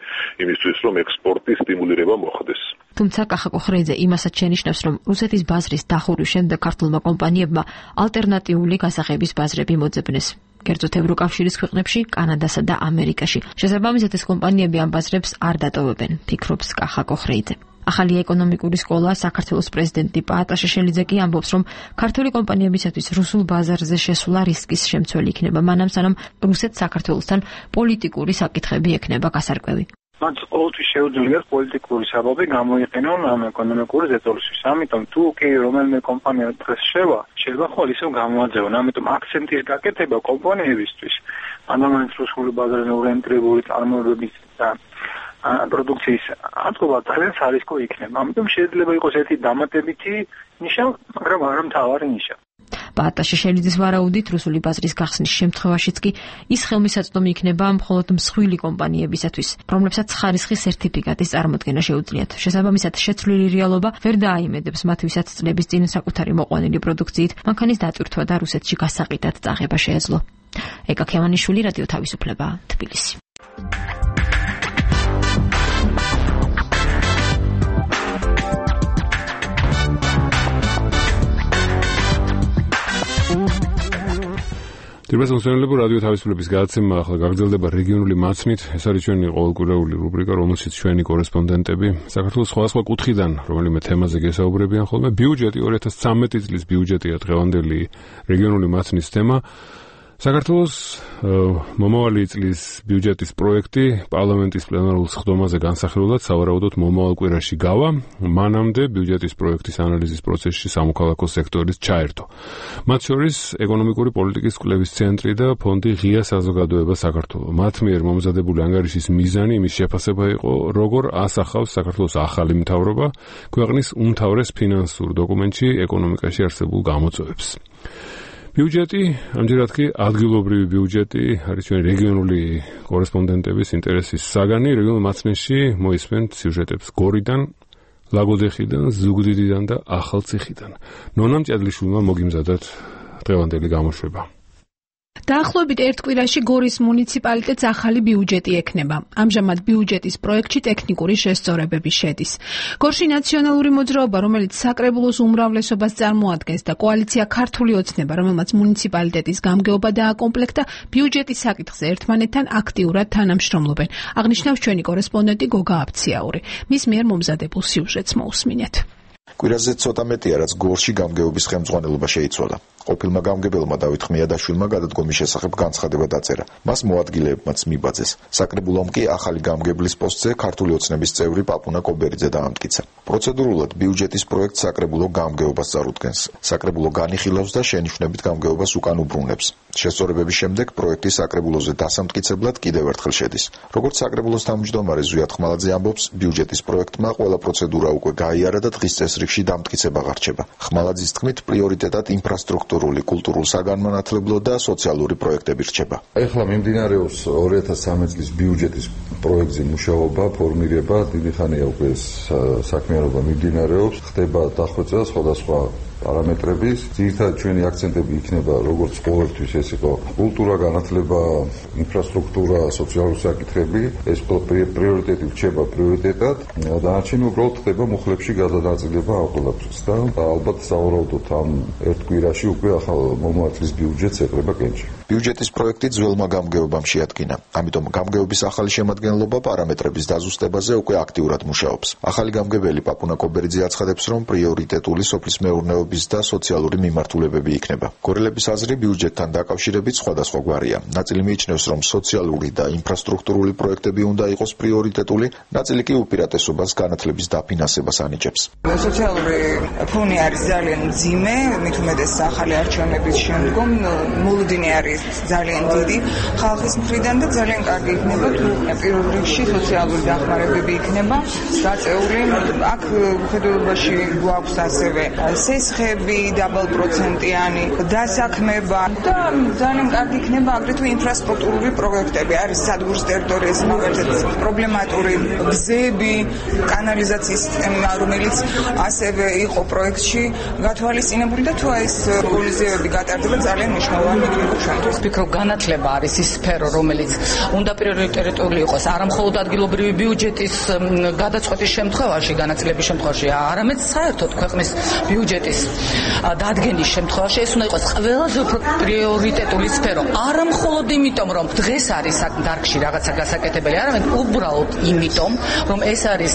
S17: იმისთვის, რომ ექსპორტის სტიმულირება მოხდეს.
S12: თუმცა კახა კოხრეიძე იმასაც შენიშნავს, რომ რუსეთის ბაზრის დახურვის შემდეგ ქართულმა კომპანიებმა ალტერნატიული გასაღების ბაზრები მოძებნეს. კერძოდ ევროკავშირის ქვეყნებში, კანადასა და ამერიკაში. შესაბამისად ეს კომპანიები ამ ბაზრებს არ დატოვებენ, ფიქრობს კახა კოხრეიძე. ახალი ეკონომიკური სკოლა საქართველოს პრეზიდენტი პაატა შეშელიძე კი ამბობს, რომ ქართული კომპანიებისათვის რუსულ ბაზარზე შესვლა რისკის შემცველი იქნება, მანამ სანამ რუსეთს საქართველოსთან პოლიტიკური საკითხები ექნება გასარკვევი.
S11: მათ ყოველთვის შეუძლიათ პოლიტიკური საბაბი გამოიყენონ ამ ეკონომიკური ზეწოლისთვის. ამიტომ თუ კი რომელიმე კომპანია დღეს შეიძლება ხოლმე ისევ გამოაძევონ. ამიტომ აქცენტის გაკეთება კომპანიებისთვის, ადამიანის რუსული ბაზარზე ორიენტირებული წარმოებების და პროდუქციის ატყობა ძალიან სარისკო იქნება. ამიტომ შეიძლება იყოს ერთი დამატებითი ნიშა, მაგრამ არა მთავარი ნიშა.
S12: პაატა შეშელიძის ვარაუდით რუსული ბაზრის გახსნის შემთხვევაშიც კი ის ხელმისაწვდომი იქნება მხოლოდ მსხვილი კომპანიებისათვის, რომლებსაც ხარისხის სერტიფიკატის წარმოდგენა შეუძლიათ. შესაბამისად, შეცვლილი რეალობა ვერ დააიმედებს მათ, ვისაც წლების წინ საკუთარი მოყვანილი პროდუქციით მანქანის დატვირთვა და რუსეთში გასაყიდად წაღება შეეძლო. ეკა ქევანიშვილი, რადიო თავისუფლება, თბილისი.
S1: დიახ, მოსწავლეებო, რადიო თავისუფლების გადაცემა ახლა გაგრძელდება რეგიონული მაცნით. ეს არის ჩვენი ყოველკვირეული რუბრიკა, რომელშიც ჩვენი კორესპონდენტები საქართველოს სხვადასხვა კუთხიდან რომელიმე თემაზე გესაუბრებიან ხოლმე. ბიუჯეტი 2013 წლის ბიუჯეტია დღევანდელი რეგიონული მაცნის თემა. საქართველოს მომავალი წლის ბიუჯეტის პროექტი პარლამენტის პლენარულ სხდომაზე განსახილველად სავარაუდოდ მომავალ კვირაში გავა, მანამდე ბიუჯეტის პროექტის ანალიზის პროცესში სამოქალაქო სექტორის ჩაერთო. მათ შორის ეკონომიკური პოლიტიკის კვლევის ცენტრი და ფონდი ღია საზოგადოება საქართველოს. მათ მიერ მომზადებული ანგარიშის მიზანი იმის შეფასება იყო, როგორ ასახავს საქართველოს ახალი მთავრობა ქვეყნის უმთავრეს ფინანსურ დოკუმენტში ეკონომიკაში არსებულ გამოწვევებს. ბიუჯეტი, ამჯერად კი ადგილობრივი ბიუჯეტი არის ჩვენი რეგიონული კორესპონდენტების ინტერესის საგანი. რეგიონულ მაცნეში მოისმენთ სიუჟეტებს გორიდან, ლაგოდეხიდან, ზუგდიდიდან და ახალციხიდან. ნონა მჭედლიშვილმა მოგიმზადათ დღევანდელი გამოშვება.
S18: დაახლოებით ერთ კვირაში გორის მუნიციპალიტეტს ახალი ბიუჯეტი ექნება. ამჟამად ბიუჯეტის პროექტში ტექნიკური შესწორებები შედის. გორში ნაციონალური მოძრაობა, რომელიც საკრებულოს უმრავლესობას წარმოადგენს და კოალიცია ქართული ოცნება, რომელმაც მუნიციპალიტეტის გამგეობა დააკომპლექტა, ბიუჯეტის საკითხზე ერთმანეთთან აქტიურად თანამშრომლობენ. აღნიშნავს ჩვენი კორესპონდენტი გოგა აბციაური. მის მიერ მომზადებულ სიუჟეტს მოусმინეთ.
S19: კვირაზე ცოტა მეტია, რაც გორში გამგეობის ხელმძღვანელობა შეიცვალა. ყოფილმა გამგებელმა დავით ხმიადაშვილმა გადადგომის შესახებ განცხადება დაწერა. მას მოადგილეებმაც მიბაძეს. საკრებულომ კი ახალი გამგებლის პოსტზე ქართული ოცნების წევრი პაპუნა კობერიძე დაამტკიცა. პროცედურულად ბიუჯეტის პროექტს საკრებულო გამგეობას წარუდგენს. საკრებულო განიხილავს და შენიშვნებით გამგეობას უკან უბრუნებს. შესწორებების შემდეგ პროექტი საკრებულოზე დასამტკიცებლად კიდევ ერთხელ შედის. როგორც საკრებულოს თავმჯდომარე ზვიად ხმალაძე ამბობს, ბიუჯეტის პროექტმა ყველა პროცედურა უკვე გაიარა და დღის წესრიგში დამტკიცება ღარჩება. ხმალაძის თქმით, პრიორიტეტად ინფრასტრუქტურული, კულტურულ-საგანმანათლებლო და სოციალური პროექტები რჩება.
S20: ეხლა მიმდინარეობს 2013 წლის ბიუჯეტის პროექტზე მუშაობა, ფორმირება, დიდი ხანია უკვე საქმიანობა მიმდინარეობს, ხდება დახვეწა სხვადასხვა პარამეტრების. ძირითადად ჩვენი აქცენტები იქნება როგორც ყოველთვის ეს იყო კულტურა, განათლება, ინფრასტრუქტურა, სოციალური საკითხები. ეს პრიორიტეტი რჩება პრიორიტეტად. დანარჩენი უბრალოდ ხდება მუხლებში გადანაწილება ამ ყველაფრის და ალბათ სავარაუდოდ ამ ერთ კვირაში უკვე ახალ მომავალ წლის ბიუჯეტს ეყრება კენჭი.
S19: ბიუჯეტის პროექტი ძველმა გამგეობამ შეადგინა. ამიტომ გამგეობის ახალი შემადგენლობა პარამეტრების დაზუსტებაზე უკვე აქტიურად მუშაობს. ახალი გამგებელი პაპუნა კობერიძე აცხადებს, რომ პრიორიტეტული სოფლის მეურნეობის და სოციალური მიმართულებები იქნება. გორელების აზრი ბიუჯეტთან დაკავშირებით სხვადასხვაგვარია. ნაწილი მიიჩნევს, რომ სოციალური და ინფრასტრუქტურული პროექტები უნდა იყოს პრიორიტეტული, ნაწილი კი უპირატესობას განათლების დაფინანსებას ანიჭებს.
S21: სოციალური ფონი არის ძალიან მძიმე, მით უმეტეს ახალი არჩევნების შემდგომ მოლოდინი არის ძალიან დიდი ხალხის მხრიდან და ძალიან კარგი იქნება თუ პირველ რიგში სოციალური დახმარებები იქნება გაწეული. აქ მხედველობაში გვაქვს ასევე სესხები, დაბალპროცენტიანი დასაქმება და ძალიან კარგი იქნება აგრეთვე ინფრასტრუქტურული პროექტები. არის სადგურის ტერიტორიაზე მაგალითად პრობლემატური გზები, კანალიზაციის სისტემა, რომელიც ასევე იყო პროექტში გათვალისწინებული და თუ ეს პოლიზიები გატარდება ძალიან მნიშვნელოვანი იქნება ჩვენთვის.
S22: ვფიქრობ, განათლება არის ის სფერო, რომელიც უნდა პრიორიტეტული იყოს არა მხოლოდ ადგილობრივი ბიუჯეტის გადაწყვეტის შემთხვევაში, განაწილების შემთხვევაში, არამედ საერთოდ ქვეყნის ბიუჯეტის დადგენის შემთხვევაში ეს უნდა იყოს ყველაზე უფრო პრიორიტეტული სფერო. არა მხოლოდ იმიტომ, რომ დღეს არის დარგში რაღაცა გასაკეთებელი, არამედ უბრალოდ იმიტომ, რომ ეს არის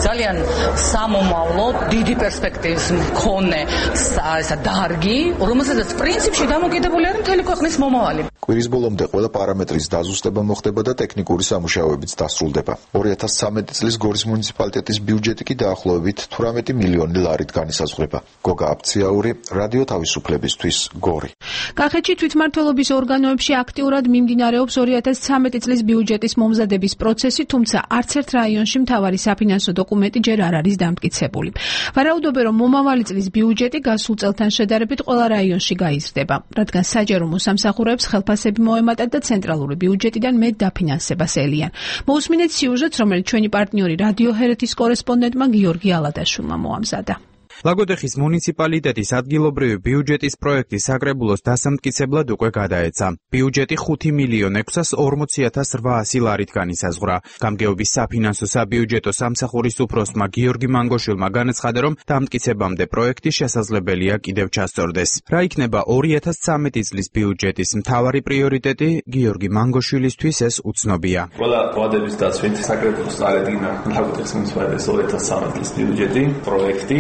S22: ძალიან სამომავლო, დიდი პერსპექტივის მქონე ესა დარგი, რომელსაც პრინციპში დამოკიდებული არის მთელი ქვეყნის მომავალი.
S19: კვირის ბოლომდე ყველა პარამეტრის დაზუსტება მოხდება და ტექნიკური სამუშაოებიც დასრულდება. 2013 წლის გორის მუნიციპალიტეტის ბიუჯეტი კი დაახლოებით 18 მილიონი ლარით განისაზღვრება. გოგა აბციაური, რადიო თავისუფლებისთვის, გორი.
S18: კახეთში თვითმმართველობის ორგანოებში აქტიურად მიმდინარეობს 2013 წლის ბიუჯეტის მომზადების პროცესი, თუმცა არც ერთ რაიონში მთავარი საფინანსო დოკუმენტი ჯერ არ არის დამტკიცებული. ვარაუდობენ, რომ მომავალი წლის ბიუჯეტი გასულ წელთან შედარებით ყველა რაიონში გაიზრდება, რადგან საჯარო მოსამსახურეებს ხელფასები მოემატათ და ცენტრალური ბიუჯეტიდან მეტ დაფინანსებას ელიან. მოусმინეთ სიუჟეტს, რომელიც ჩვენი პარტნიორი რადიო ჰერეთის კორესპონდენტმა გიორგი ალადაშვილმა მოამზადა.
S23: ლაგოდეხის მუნიციპალიტეტის ადგილობრივი ბიუჯეტის პროექტი საკრებულოს დასამტკიცებლად უკვე გადაეცა. ბიუჯეტი 5.640.800 ლარით განისაზღვრა. გამგეობის საფინანსო საბიუჯეტო სამსახურის უფროსმა გიორგი მანგოშვილმა განაცხადა, რომ დამტკიცებამდე პროექტი შესაძლებელია კიდევ ჩასწორდეს. რა იქნება 2013 წლის ბიუჯეტის მთავარი პრიორიტეტი, გიორგი მანგოშვილისთვის ეს უცნობია.
S24: ყველა ვადების დაცვით საკრებულოს წარადგინა ლაგოდეხის მუნიციპალიტეტის 2013 წლის ბიუჯეტი პროექტი.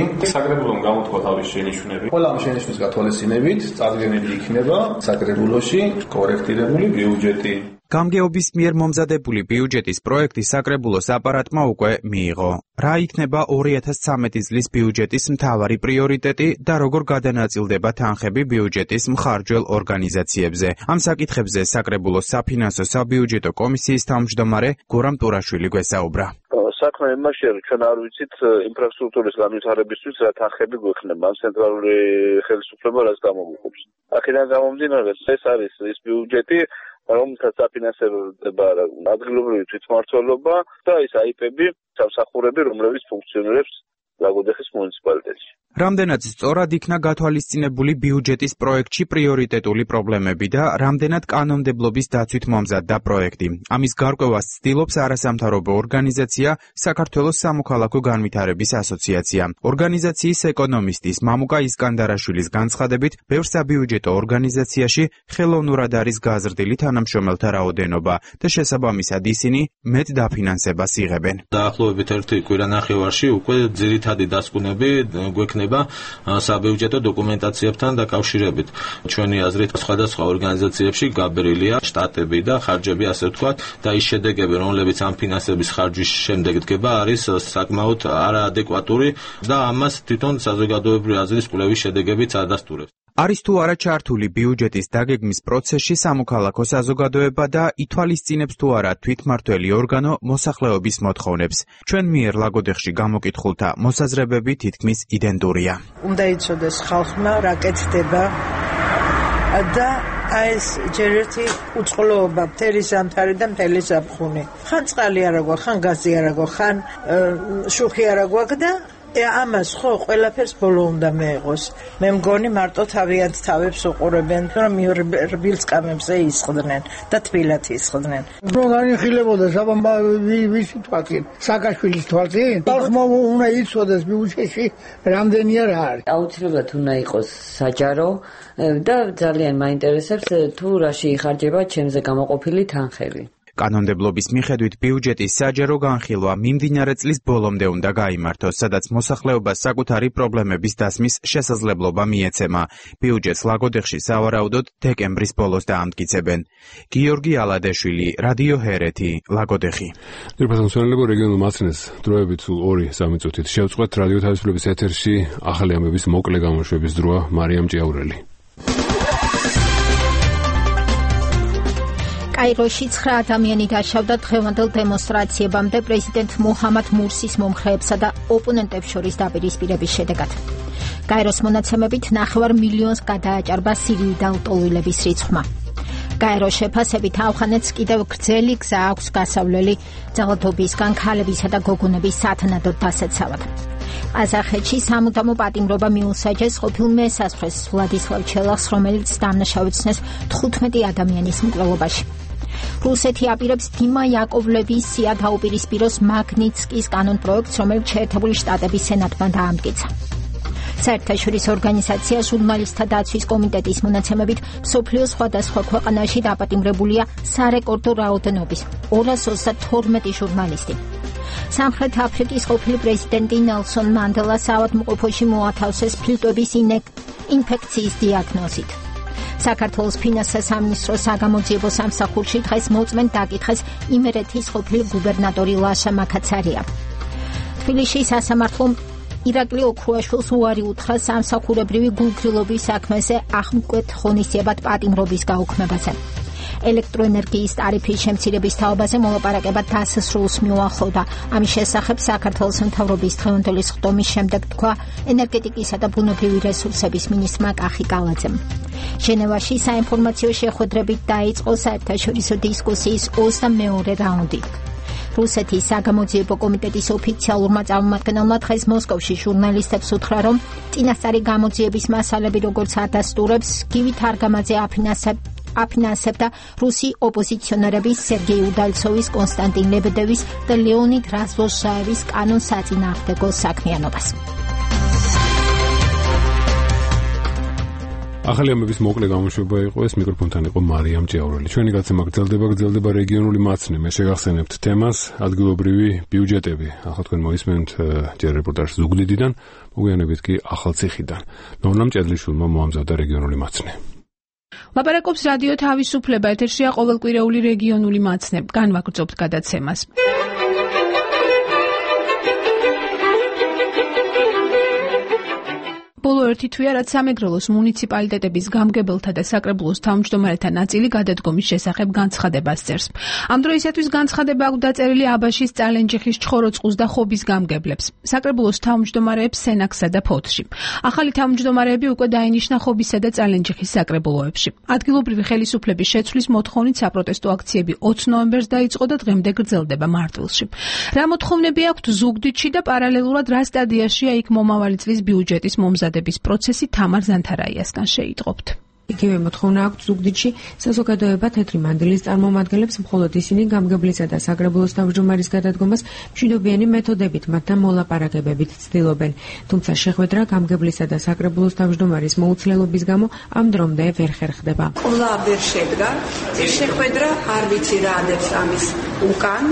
S13: საკრებულომ გამოთქვა თავის შენიშვნები. ყველა ამ შენიშვნის გათვალისწინებით წარდგენილი იქნება საკრებულოში კორექტირებული ბიუჯეტი.
S23: გამგეობის მიერ მომზადებული ბიუჯეტის პროექტი საკრებულოს აპარატმა უკვე მიიღო. რა იქნება 2013 წლის ბიუჯეტის მთავარი პრიორიტეტი და როგორ გადანაწილდება თანხები ბიუჯეტის მხარჯველ ორგანიზაციებზე? ამ საკითხებზე საკრებულოს საფინანსო საბიუჯეტო კომისიის თავმჯდომარე გურამ ტურაშვილი გვესაუბრა.
S8: საქმე იმაშია, რომ ჩვენ არ ვიცით ინფრასტრუქტურის განვითარებისთვის რა თანხები გვექნება, ამ ცენტრალური ხელისუფლება რას გამოგვიყოფს. აქედან გამომდინარე, ეს არის ის ბიუჯეტი, რომელსაც აფინანსება ადგილობრივი თვითმმართველობა და ის აიპები, სამსახურები, რომლებიც ფუნქციონირებს ლაგოდეხის მუნიციპალიტეტში.
S23: რამდენად სწორად იქნა გათვალისწინებული ბიუჯეტის პროექტში პრიორიტეტული პრობლემები და რამდენად კანონმდებლობის დაცვით მომზადდა პროექტი. ამის გარკვევას ცდილობს არასამთავრობო ორგანიზაცია საქართველოს სამოქალაქო განვითარების ასოციაცია. ორგანიზაციის ეკონომისტის მამუკა ისკანდარაშვილის განცხადებით, ბევრ საბიუჯეტო ორგანიზაციაში ხელოვნურად არის გაზრდილი თანამშრომელთა რაოდენობა და შესაბამისად ისინი მეტ დაფინანსებას იღებენ.
S3: დაახლოებით 1 კვირანახევარში უკვე ძირითადი დასკვნები გვექნება საბიუჯეტო დოკუმენტაციებთან დაკავშირებით. ჩვენი აზრით სხვადასხვა ორგანიზაციებში გაბერილია შტატები და ხარჯები, ასე ვთქვათ, და ის შედეგები, რომლებიც ამ ფინანსების ხარჯვის შემდეგ დგება, არის საკმაოდ არაადეკვატური და ამას თვითონ საზოგადოებრივი აზრის კვლევის შედეგებიც ადასტურებს.
S23: არის თუ არა ჩართული ბიუჯეტის დაგეგმის პროცესში სამოქალაქო საზოგადოება და ითვალისწინებს თუ არა თვითმმართველი ორგანო მოსახლეობის მოთხოვნებს. ჩვენ მიერ ლაგოდეხში გამოკითხულთა მოსაზრებები თითქმის იდენტურია.
S5: უნდა იცოდეს ხალხმა რა კეთდება და ეს ჯერ ერთი უწყლოობა მთელი ზამთარი და მთელი ზაფხული. ხან წყალი არა გვაქვს, ხან გაზი არა გვაქვს, ხან შუხი არა გვაქვს და ამას ხო ყველაფერს ბოლო უნდა მეეღოს. მე მგონი მარტო თავიანთ თავებს უყურებენ, რომ რბილ სკამებზე ისხდნენ და თბილად ისხდნენ.
S6: რომ განიხილებოდეს აბა ვისი თვალწინ? სააკაშვილის თვალწინ? ხალხმა უნდა იცოდეს ბიუჯეტში რამდენია რა არის.
S24: აუცილებლად უნდა იყოს საჯარო და ძალიან მაინტერესებს თუ რაში იხარჯება ჩემზე გამოყოფილი თანხები.
S23: კანონმდებლობის მიხედვით ბიუჯეტის საჯარო განხილვა მიმდინარე წლის ბოლომდე უნდა გაიმართოს, სადაც მოსახლეობას საკუთარი პრობლემების დასმის შესაძლებლობა მიეცემა. ბიუჯეტს ლაგოდეხში სავარაუდოდ დეკემბრის ბოლოს დაამტკიცებენ. გიორგი ალადეშვილი, რადიო ჰერეთი, ლაგოდეხი.
S1: ძირფასო მსმენელებო, რეგიონულ მაცნეს დროებით სულ 2-3 წუთით შევწყვეთ. რადიო თავისუფლების ეთერში ახალი ამბების მოკლე გამოშვების დროა. მარიამ ჭიაურელი.
S2: კაიროში 9 ადამიანი დაშავდა დღევანდელ დემონსტრაციებამდე პრეზიდენტ მუჰამად მურსის მომხრეებსა და ოპონენტებს შორის დაპირისპირების შედეგად. კაიროს მონაცემებით 9 მილიონს გადააჭარბა სირიიდან ლტოლვილების რიცხვმა. კაიროს შეფასებით ავღანეთს კიდევ გრძელი გზა აქვს გასავლელი ძალადობისგან ქალებისა და გოგონების სათანადოდ დასაცავად. ყაზახეთში სამუდამო პატიმრობა მიუსაჯეს ყოფილ მესასწრეს ვლადისლავ ჩელახს, რომელიც დამნაშავეცნეს 15 ადამიანის მკვლელობაში. რუსეთი აპირებს დიმა იაკოვლევის სია დაუპირისპიროს მაგნიცკის კანონპროექტს, რომელიც შეერთებული შტატების სენატმა დაამტკიცა. საერთაშორისო ორგანიზაცია ჟურნალისტთა დაცვის კომიტეტის მონაცემებით მსოფლიოს სხვადასხვა ქვეყანაში დაპატიმრებულია სარეკორდო რაოდენობის 232 ჟურნალისტი. სამხრეთ აფრიკის ყოფილი პრეზიდენტი ნელსონ მანდელას ავადმყოფოში მოათავსეს ფილტვების ინფექციის დიაგნოზით. საქართველოს ფინანსთა სამინისტროს საგამოძიებო სამსახურში დღეს მოწმენ დაკითხეს იმერეთის ყოფილი გუბერნატორი ლაშა მაკაცარია. თბილისში სასამართლომ ირაკლი ოქრუაშვილს უარი უთხრა სამსახურებრივი გულგრილობის საქმეზე აღმკვეთ ღონისძიებად პატიმრობის გაუქმებაზე. ელექტროენერგიის ტარიფის შემცირების თაობაზე მოლაპარაკება დასასრულს მიუახლოვდა. ამის შესახებ საქართველოს მთავრობის დღევანდელი სხდომის შემდეგ თქვა ენერგეტიკისა და ბუნებრივი რესურსების მინისტრმა კახი კალაძემ. ჟენევაში საინფორმაციო შეხვედრებით დაიწყო საერთაშორისო დისკუსიის 22 რაუნდი. რუსეთის საგამოძიებო კომიტეტის ოფიციალურმა წარმომადგენელმა დღეს მოსკოვში ჟურნალისტებს უთხრა, რომ წინასწარი გამოძიების მასალები, როგორც ადასტურებს, გივი თარგამაძე აფინანსებდა რუსი ოპოზიციონერების სერგეი უდალცოვის, კონსტანტინ ლებედევის და ლეონიდ რაზვოჟაევის კანონსაწინააღმდეგო საქმიანობას.
S1: ახალი ამბების მოკლე გამოშვება იყო ეს, მიკროფონთან იყო მარიამ ჭიაურელი. ჩვენი გაცემა გრძელდება რეგიონული მაცნე. მე შეგახსენებთ თემას ადგილობრივი ბიუჯეტები. ახლა თქვენ მოისმენთ ჯერ რეპორტაჟს ზუგდიდიდან, მოგვიანებით კი ახალციხიდან. ნორნა მჭედლიშვილმა მოამზადა რეგიონული მაცნე.
S18: ლაპარაკობს რადიო თავისუფლება, ეთერშია ყოველკვირეული რეგიონული მაცნე. განვაგრძობთ გადაცემას. ბოლო ერთი თვეა, რაც სამეგრელოს მუნიციპალიტეტების გამგებელთა და საკრებულოს თავმჯდომარეთა ნაწილი გადადგომის შესახებ განცხადებას წერს. ამ დროისათვის განცხადება აქვს დაწერილი აბაშის, წალენჯიხის, ჩხოროწყუს და ხობის გამგებლებს, საკრებულოს თავმჯდომარეებს სენაქსსა და ფოთში. ახალი თავმჯდომარეები უკვე დაინიშნა ხობისა და წალენჯიხის საკრებულოებში. ადგილობრივი ხელისუფლების შეცვლის მოთხოვნით საპროტესტო აქციები 20 ნოემბერს დაიწყო და დღემდე გრძელდება მარტვილში. რა მოთხოვნები აქვთ ზუგდიდში და პარალელურად რა სტადიაშია იქ მომავალი წლის ბიუჯეტის მომზადების პროცესი თამარ ზანთარაიასგან შეიტყობთ.
S7: იგივე მოთხოვნა აქვს ზუგდიდში საზოგადოება თეთრი მანდილის წარმომადგენლებს, მხოლოდ ისინი გამგებლისა და საკრებულოს თავმჯდომარის გადადგომას მშვიდობიანი მეთოდებით მათთან მოლაპარაკებებით ცდილობენ. თუმცა შეხვედრა გამგებლისა და საკრებულოს თავმჯდომარის მოუცლელობის გამო ამ დრომდე ვერ ხერხდება.
S9: ყოლა ვერ შედგა შეხვედრა, არ ვიცი რა ადებს ამის უკან,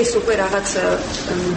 S9: ეს უკვე რაღაც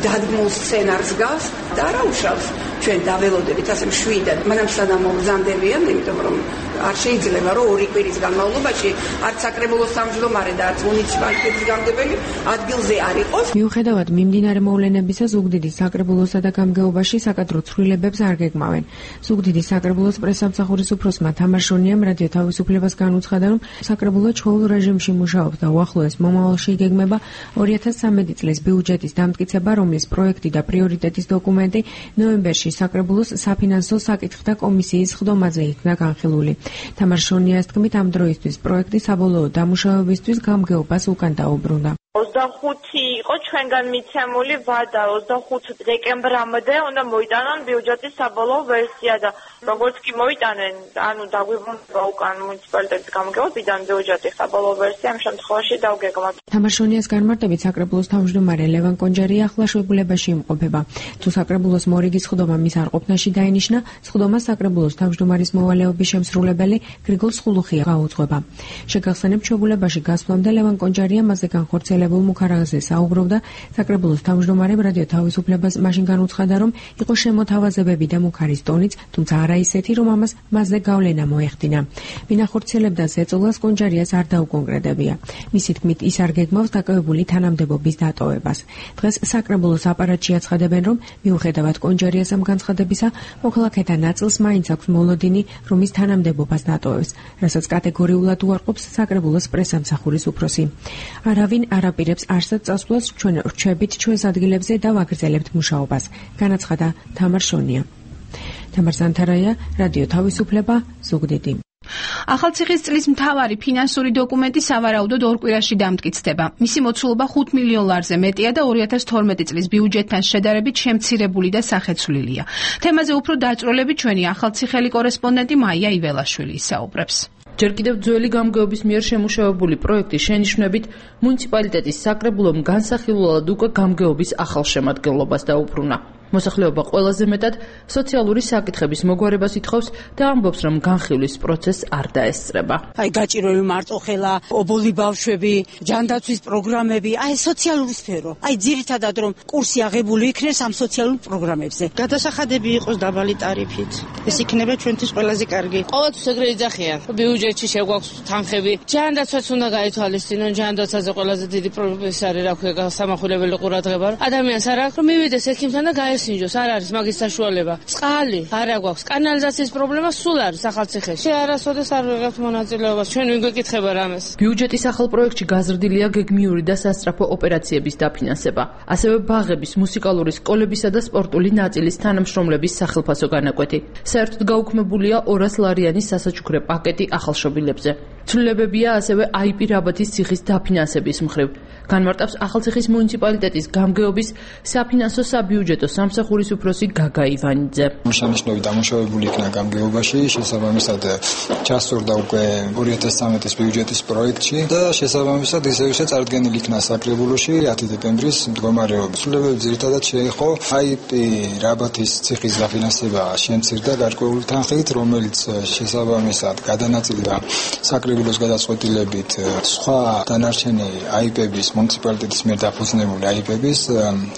S9: დადგმულ სცენარს გავს და რა უშავს ჩვენ დაველოდებით ასე მშვიდად, მაგრამ სანამ მომზადებიან, იმიტომ რომ არ შეიძლება რომ ორი კვირის განმავლობაში არც საკრებულოს თავმჯდომარე და არც მუნიციპალიტეტის გამგებელი ადგილზე არ იყოს.
S7: მიუხედავად მიმდინარე მოვლენებისა, ზუგდიდის საკრებულოსა და გამგეობაში საკადრო ცვლილებებს არ გეგმავენ. ზუგდიდის საკრებულოს პრესსამსახურის უფროსმა თამარ შონიამ რადიო თავისუფლებას განუცხადა, რომ საკრებულო ჩვეულ რეჟიმში მუშაობს და უახლოეს მომავალში იგეგმება 2013 წლის ბიუჯეტის დამტკიცება, რომლის პროექტი და პრიორიტეტის დოკუმენტი ნოემბერში საკრებულოს საფინანსო საკითხთა კომისიის ხდომაზე იქნა განხილული. თამარ შონიას თქმით, ამ დროისთვის პროექტი საბოლოო დამუშავებისთვის გამგეობას უკან დაუბრუნდა.
S10: 25 იყო ჩვენგან მიცემული ვადა, 25 დეკემბრამდე უნდა მოიტანონ ბიუჯეტის საბოლოო ვერსია და როგორც კი მოიტანენ, ანუ დაგვიბრუნდება უკან მუნიციპალიტეტის გამგეობიდან ბიუჯეტის საბოლოო ვერსია, ამ შემთხვევაში დავგეგმოთ.
S7: თამარ შონიას განმარტებით საკრებულოს თავმჯდომარე ლევან კონჯარი ახლა შეუგულებაში იმყოფება. თუ საკრებულოს მორიგის ხდომა მის არყოფნაში დაინიშნა, ხდომა საკრებულოს თავმჯდომარის მოვალეობის შემსრულებელი გრიგოლ სხულუხია გაუძღვება. შეგახსენებთ, შეუგულებაში გასვლამდე ლევან კონჯარია მასზე განხორციელებულ მუქარაღზე საუბრობდა, საკრებულოს თავმჯდომარემ რადიო თავისუფლებას მაშინ განუცხადა, რომ იყო შემოთავაზებები და მუქარის ტონიც, თუმცა არა ისეთი, რომ ამას მასზე გავლენა მოეხდინა. ვინ ახორციელებდა ზეწოლას, კონჯარიას არ დაუკონკრეტებია. მისი თქმით, ის არ გეგმავს დაკავებული თანამდებობის დატოვებას. დღეს საკრებულოს აპარატში აცხადებენ, რომ მიუხედავად კონჯარიას ამ განცხადებისა, მოქალაქეთა ნაწილს მაინც აქვს მოლოდინი, რომ ის თანამდებობას დატოვებს, რასაც კატეგორიულად უარყოფს საკრებულოს პრესსამსახურის უფროსი. არავინ არაპირებს არსად წასვლას ჩვენ რჩებით ჩვენს ადგილებზე და ვაგრძელებთ მუშაობას, განაცხადა თამარ შონია. თამარ ზანთარაია, რადიო თავისუფლება, ზუგდიდი.
S18: ახალციხის წლის მთავარი ფინანსური დოკუმენტი სავარაუდოდ ორ კვირაში დამტკიცდება. მისი მოცულობა 5 მილიონ ლარზე მეტია და 2012 წლის ბიუჯეტთან შედარებით შემცირებული და სახეცვლილია. თემაზე უფრო დაწვრილებით ჩვენი ახალციხელი კორესპონდენტი მაია იველაშვილი ისაუბრებს.
S4: ჯერ კიდევ ძველი გამგეობის მიერ შემუშავებული პროექტის შენიშვნებით მუნიციპალიტეტის საკრებულომ განსახილველად უკვე გამგეობის ახალ შემადგენლობას დაუბრუნა. მოსახლეობა ყველაზე მეტად სოციალური საკითხების მოგვარებას ითხოვს და ამბობს, რომ განხილვის პროცესს არ დაესწრება.
S14: აი გაჭირველი მარტოხელა, ობოლი ბავშვები, ჯანდაცვის პროგრამები, აი სოციალური სფერო. აი ძირითადად რომ კურსი აღებული იქნეს ამ სოციალურ პროგრამებზე.
S25: გადასახადები იყოს დაბალი ტარიფით. ეს იქნება ჩვენთვის ყველაზე კარგი.
S26: ყოველთვის ეგრე იძახიან. ბიუჯეტში შეგვაქვს თანხები. ჯანდაცვაც უნდა გაითვალისწინონ, ჯანდაცვაზე ყველაზე დიდი პრობლემა არის, რა ქვია, სამახვილებელი ყურადღება. ადამიანს არ აქვს რომ მივიდეს ექიმთან და სინჯოს არ არის მაგის საშუალება. წყალი არ აქვს, კანალიზაციის პრობლემა სულ არის ახალციხეში. არასოდეს არ ვიღებთ მონაწილეობას. ჩვენ ვინ გვეკითხება რამეს.
S4: ბიუჯეტის ახალ პროექტში გაზრდილია გეგმიური და სასწრაფო ოპერაციების დაფინანსება. ასევე ბაღების, მუსიკალური სკოლებისა და სპორტული ნაწილის თანამშრომლების სახელფასო განაკვეთი. საერთოდ გაუქმებულია 200 ლარიანის სასაჩუქრე პაკეტი ახალშობილებზე. ცვლილებებია ასევე IP რაბათის ციხის დაფინანსების მხრივ. განმარტავს ახალციხის მუნიციპალიტეტის გამგეობის საფინანსო საბიუჯეტო სამსახურის უფროსი გაგა ივანიძე.
S11: Შენიშნები დამუშავებული იქნა გამგეობაში, შესაბამისად ჩასწორდა უკვე 2013 ბიუჯეტის პროექტში და შესაბამისად ისევ წარდგენილი იქნა საკრებულოში 10 დეკემბრის მდგომარეობა. ცვლილებები ძირითადად შეეხო IP რაბათის ციხის დაფინანსება შემცირდა გარკვეული თანხით, რომელიც შესაბამისად გადანაწილდა საკრებულოს გადაწყვეტილებით სხვა დანარჩენი IP-ების მუნიციპალიტეტის მიერ დაფუძნებული IP-ების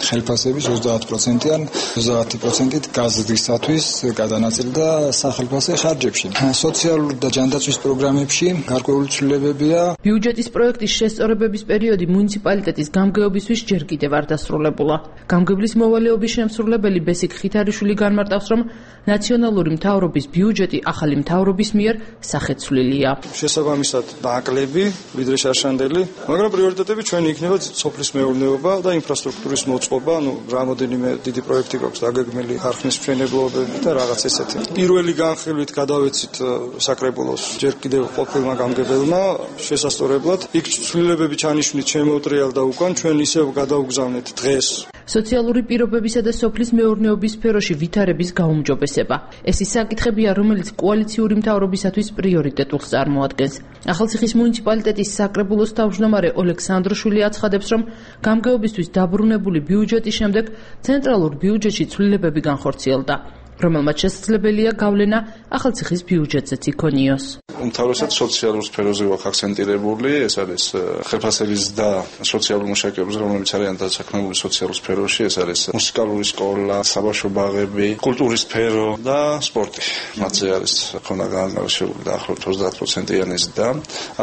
S11: ხელფასების 30%-იან 30%-ით გაზრდისათვის გადანაწილდა სახელმწიფო ხარჯებში. სოციალური და ჯანდაცვის პროგრამებში გარკვეული ცვლილებებია.
S4: ბიუჯეტის პროექტის შესწორებების პერიოდი მუნიციპალიტეტის გამგეობისთვის ჯერ კიდევ არ დასრულებულა. გამგებლის მოვალეობის შემსრულებელი ბესიკ ხითარიშვილი განმარტავს, რომ ნაციონალური მთავრობის ბიუჯეტი ახალი მთავრობის მიერ სახეცვლილია.
S12: შესაბამისად დაკლები, ვიდრე შარშანდელი, მაგრამ პრიორიტეტები ჩვენი იქნება სოფლის მეურნეობა და ინფრასტრუქტურის მოწყობა, რამოდენიმე დიდი პროექტი გვაქვს დაგეგმილი ხარხნის მშენებლობები და რაღაც ესეთი. პირველი განხილვით გადავეცით საკრებულოს ჯერ კიდევ ყოფილმა გამგებელმა შესასწორებლად. იქ ცვლილებები ჩანიშვნით შემოუტრიალდა უკან, ჩვენ ისევ გადავგზავნეთ დღეს. სოციალური
S4: პირობებისა და სოფლის მეურნეობის სფეროში ვითარების გაუმჯობესება. ეს ის საკითხებია, რომელიც კოალიციური მთავრობისათვის პრიორიტეტულს წარმოადგენს. ახალციხის მუნიციპალიტეტის საკრებულოს თავმჯდომარე ოლექსანდროშვილი აცხადებს, რომ გამგეობისთვის დაბრუნებული ბიუჯეტის შემდეგ ცენტრალურ ბიუჯეტში ცვლილებები განხორციელდა, რომელმაც შესაძლებელია გავლენა ახალციხის ბიუჯეტზეც იქონიოს.
S12: უმთავრესად სოციალურ სფეროზე ვახ აქცენტირებული, ეს არის ხელფასების და სოციალური მუშაკების, რომლებიც არიან დასაქმებული სოციალურ სფეროში, ეს არის მუსიკალური სკოლა, საბავშვო ბაღები, კულტურის სფერო და სპორტი. მათზე არის ქონა განმარტებული დაახლოებით 30%-იანი ზრდა,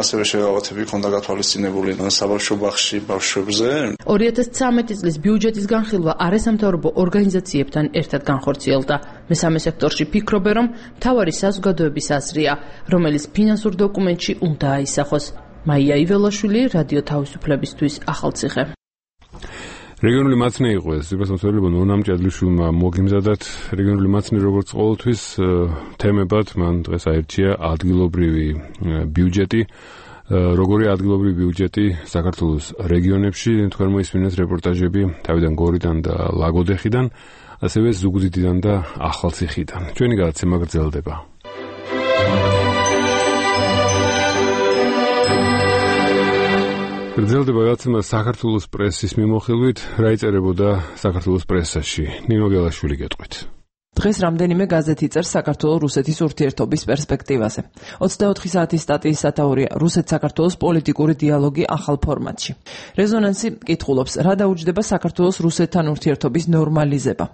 S12: ასევე შეღავათები ქონდა გათვალისწინებული საბავშვო ბაღში ბავშვებზე. 2013
S4: წლის ბიუჯეტის განხილვა არასამთავრობო ორგანიზაციებთან ერთად განხორციელდა. მესამე სექტორში ფიქრობენ, რომ მთავარი საზოგადოების აზრია, რომელიც ფინანსურ დოკუმენტში უნდა აისახოს. მაია იველაშვილი, რადიო თავისუფლებისთვის, ახალციხე.
S1: რეგიონული მაცნე იყო ეს, ზოგადად ნონა მჭადლიშვილმა მოგიმზადათ რეგიონული მაცნე როგორც ყოველთვის თემებად, მან დღეს აირჩია ადგილობრივი ბიუჯეტი. როგორი ადგილობრივი ბიუჯეტი საქართველოს რეგიონებში, თქვენ მოისმინეთ რეპორტაჟები თავიდან გორიდან და ლაგოდეხიდან, ასევე ზუგდიდიდან და ახალციხიდან. ჩვენი გადაცემა გრძელდება. გრძელდება გადაცემა საქართველოს პრესის მიმოხილვით, რა იწერებოდა საქართველოს პრესაში. ნინო გელაშვილი გეტყვით.
S4: დღეს რამდენიმე გაზეთი წერს საქართველოს-რუსეთის ურთიერთობის პერსპექტივაზე. 24 საათის სტატიის სათაურია რუსეთ-საქართველოს პოლიტიკური დიალოგი ახალ ფორმატში. რეზონანსი კითხულობს, რა დაუჯდება საქართველოს რუსეთთან ურთიერთობის ნორმალიზება.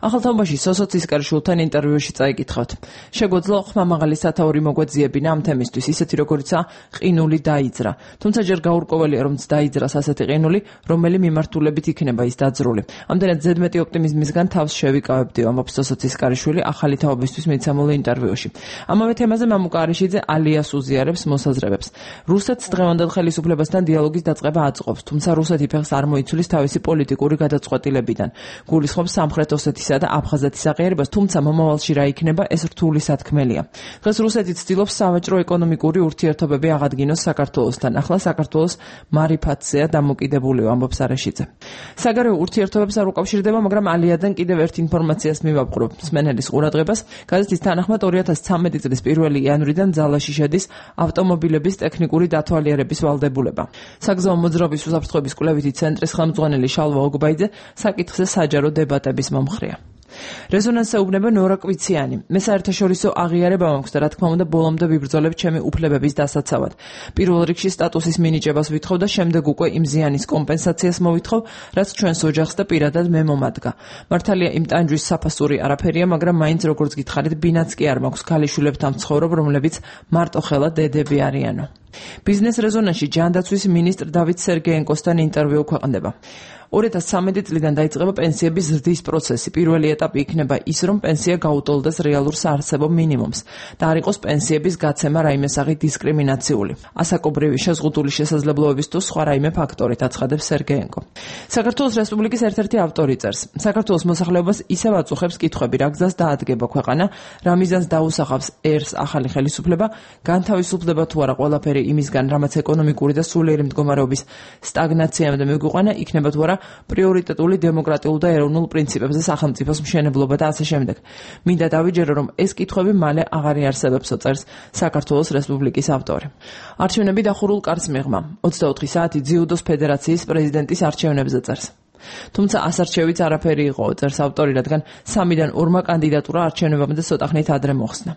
S4: ახალ თაობაში სოსოცისკარიშვილთან ინტერვიუში წაიკითხავთ. შეგვეძლო ხმამაღალი სათაური მოგვეძიებინა ამ თემისთვის, ისეთი როგორიცაა ყინული დაიძრა. თუმცა ჯერ გაურკვეველია, რომ დაიძრას ასეთი ყინული, რომელი მიმართულებით იქნება ის დაძრული. ამდენად ზედმეტი ოპტიმიზმისგან თავს შევიკავებდი, ამბობს სოსოცისკარიშვილი ახალი თაობისთვის მიცემულ ინტერვიუში. ამავე თემაზე მამუკა არიშიძე ალიას უზიარებს მოსაზრებებს. რუსეთს დღევანდელ ხელისუფლებასთან დიალოგის დაწყება აწყობს, თუმცა რუსეთი ფეხს არ მოიცვლის თავისი პოლიტიკური გადაწყვეტილებიდან. გულისხმობს სამხრეთ ოსეთისა და აფხაზეთის აღიარებას, თუმცა მომავალში რა იქნება, ეს რთული სათქმელია. დღეს რუსეთი ცდილობს სავაჭრო ეკონომიკური ურთიერთობები აღადგინოს საქართველოსთან. ახლა საქართველოს მარიფატზეა დამოკიდებული, ამბობს არაშიძე. საგარეო ურთიერთობებს არ უკავშირდება, მაგრამ ალიადან კიდევ ერთ ინფორმაციას მივაბყრობ. მსმენელის ყურადღებას, გაზეთის თანახმად 2013 წლის 1 იანვრიდან ძალაში შედის ავტომობილების ტექნიკური დათვალიერების ვალდებულება. საგზაო მოძრაობის უსაფრთხოების კვლევითი ცენტრის ხელმძღვანელი შალვა ოგბაიძე საკითხზე საჯარო დებატების მომხრეა. რეზონანსს ეუბნება ნორა კვიციანი. მე საერთაშორისო აღიარება მაქვს და რა თქმა უნდა ბოლომდე ვიბრძოლებ ჩემი უფლებების დასაცავად. პირველ რიგში სტატუსის მინიჭებას ვითხოვ და შემდეგ უკვე იმ ზიანის კომპენსაციას მოვითხოვ, რაც ჩვენს ოჯახს და პირადად მე მომადგა. მართალია იმ ტანჯვის საფასური არაფერია, მაგრამ მაინც როგორც გითხარით, ბინაც კი არ მაქვს ქალიშვილებთან ვცხოვრობ, რომლებიც მარტო ხელა დედები არიანო. ბიზნეს რეზონანსში ჯანდაცვის მინისტრ დავით სერგეენკოსთან ინტერვიუ ქვეყნდება. 2013 წლიდან დაიწყება პენსიების ზრდის პროცესი. პირველი ეტაპი იქნება ის, რომ პენსია გაუტოლდეს რეალურ საარსებო მინიმუმს და არ იყოს პენსიების გაცემა რაიმე სახით დისკრიმინაციული. ასაკობრივი შეზღუდული შესაძლებლობების თუ სხვა რაიმე ფაქტორით, აცხადებს სერგეენკო. საქართველოს რესპუბლიკის ერთ-ერთი ავტორი წერს, საქართველოს მოსახლეობას ისევ აწუხებს კითხვები, რა გზას დაადგება ქვეყანა, რა მიზანს დაუსახავს ერს ახალი ხელისუფლება, განთავისუფლდება თუ არა ყველაფერი იმისგან, რამაც ეკონომიკური და სულიერი მდგომარეობის სტაგნაციამდე მიგვიყვანა, იქნება თუ არა პრიორიტეტული დემოკრატიულ და ეროვნულ პრინციპებზე სახელმწიფოს მშენებლობა და ასე შემდეგ. მინდა დავიჯერო, რომ ეს კითხვები მალე აღარ იარსებებსო, წერს საქართველოს რესპუბლიკის ავტორი. არჩევნები დახურულ კარს მიღმა. 24 საათი ძიუდოს ფედერაციის პრეზიდენტის არჩევნებზე წერს. თუმცა ასარჩევიც არაფერი იყო, წერს ავტორი, რადგან 3-დან 2 კანდიდატურა არჩევნებამდე ცოტა ხნით ადრე მოხსნა.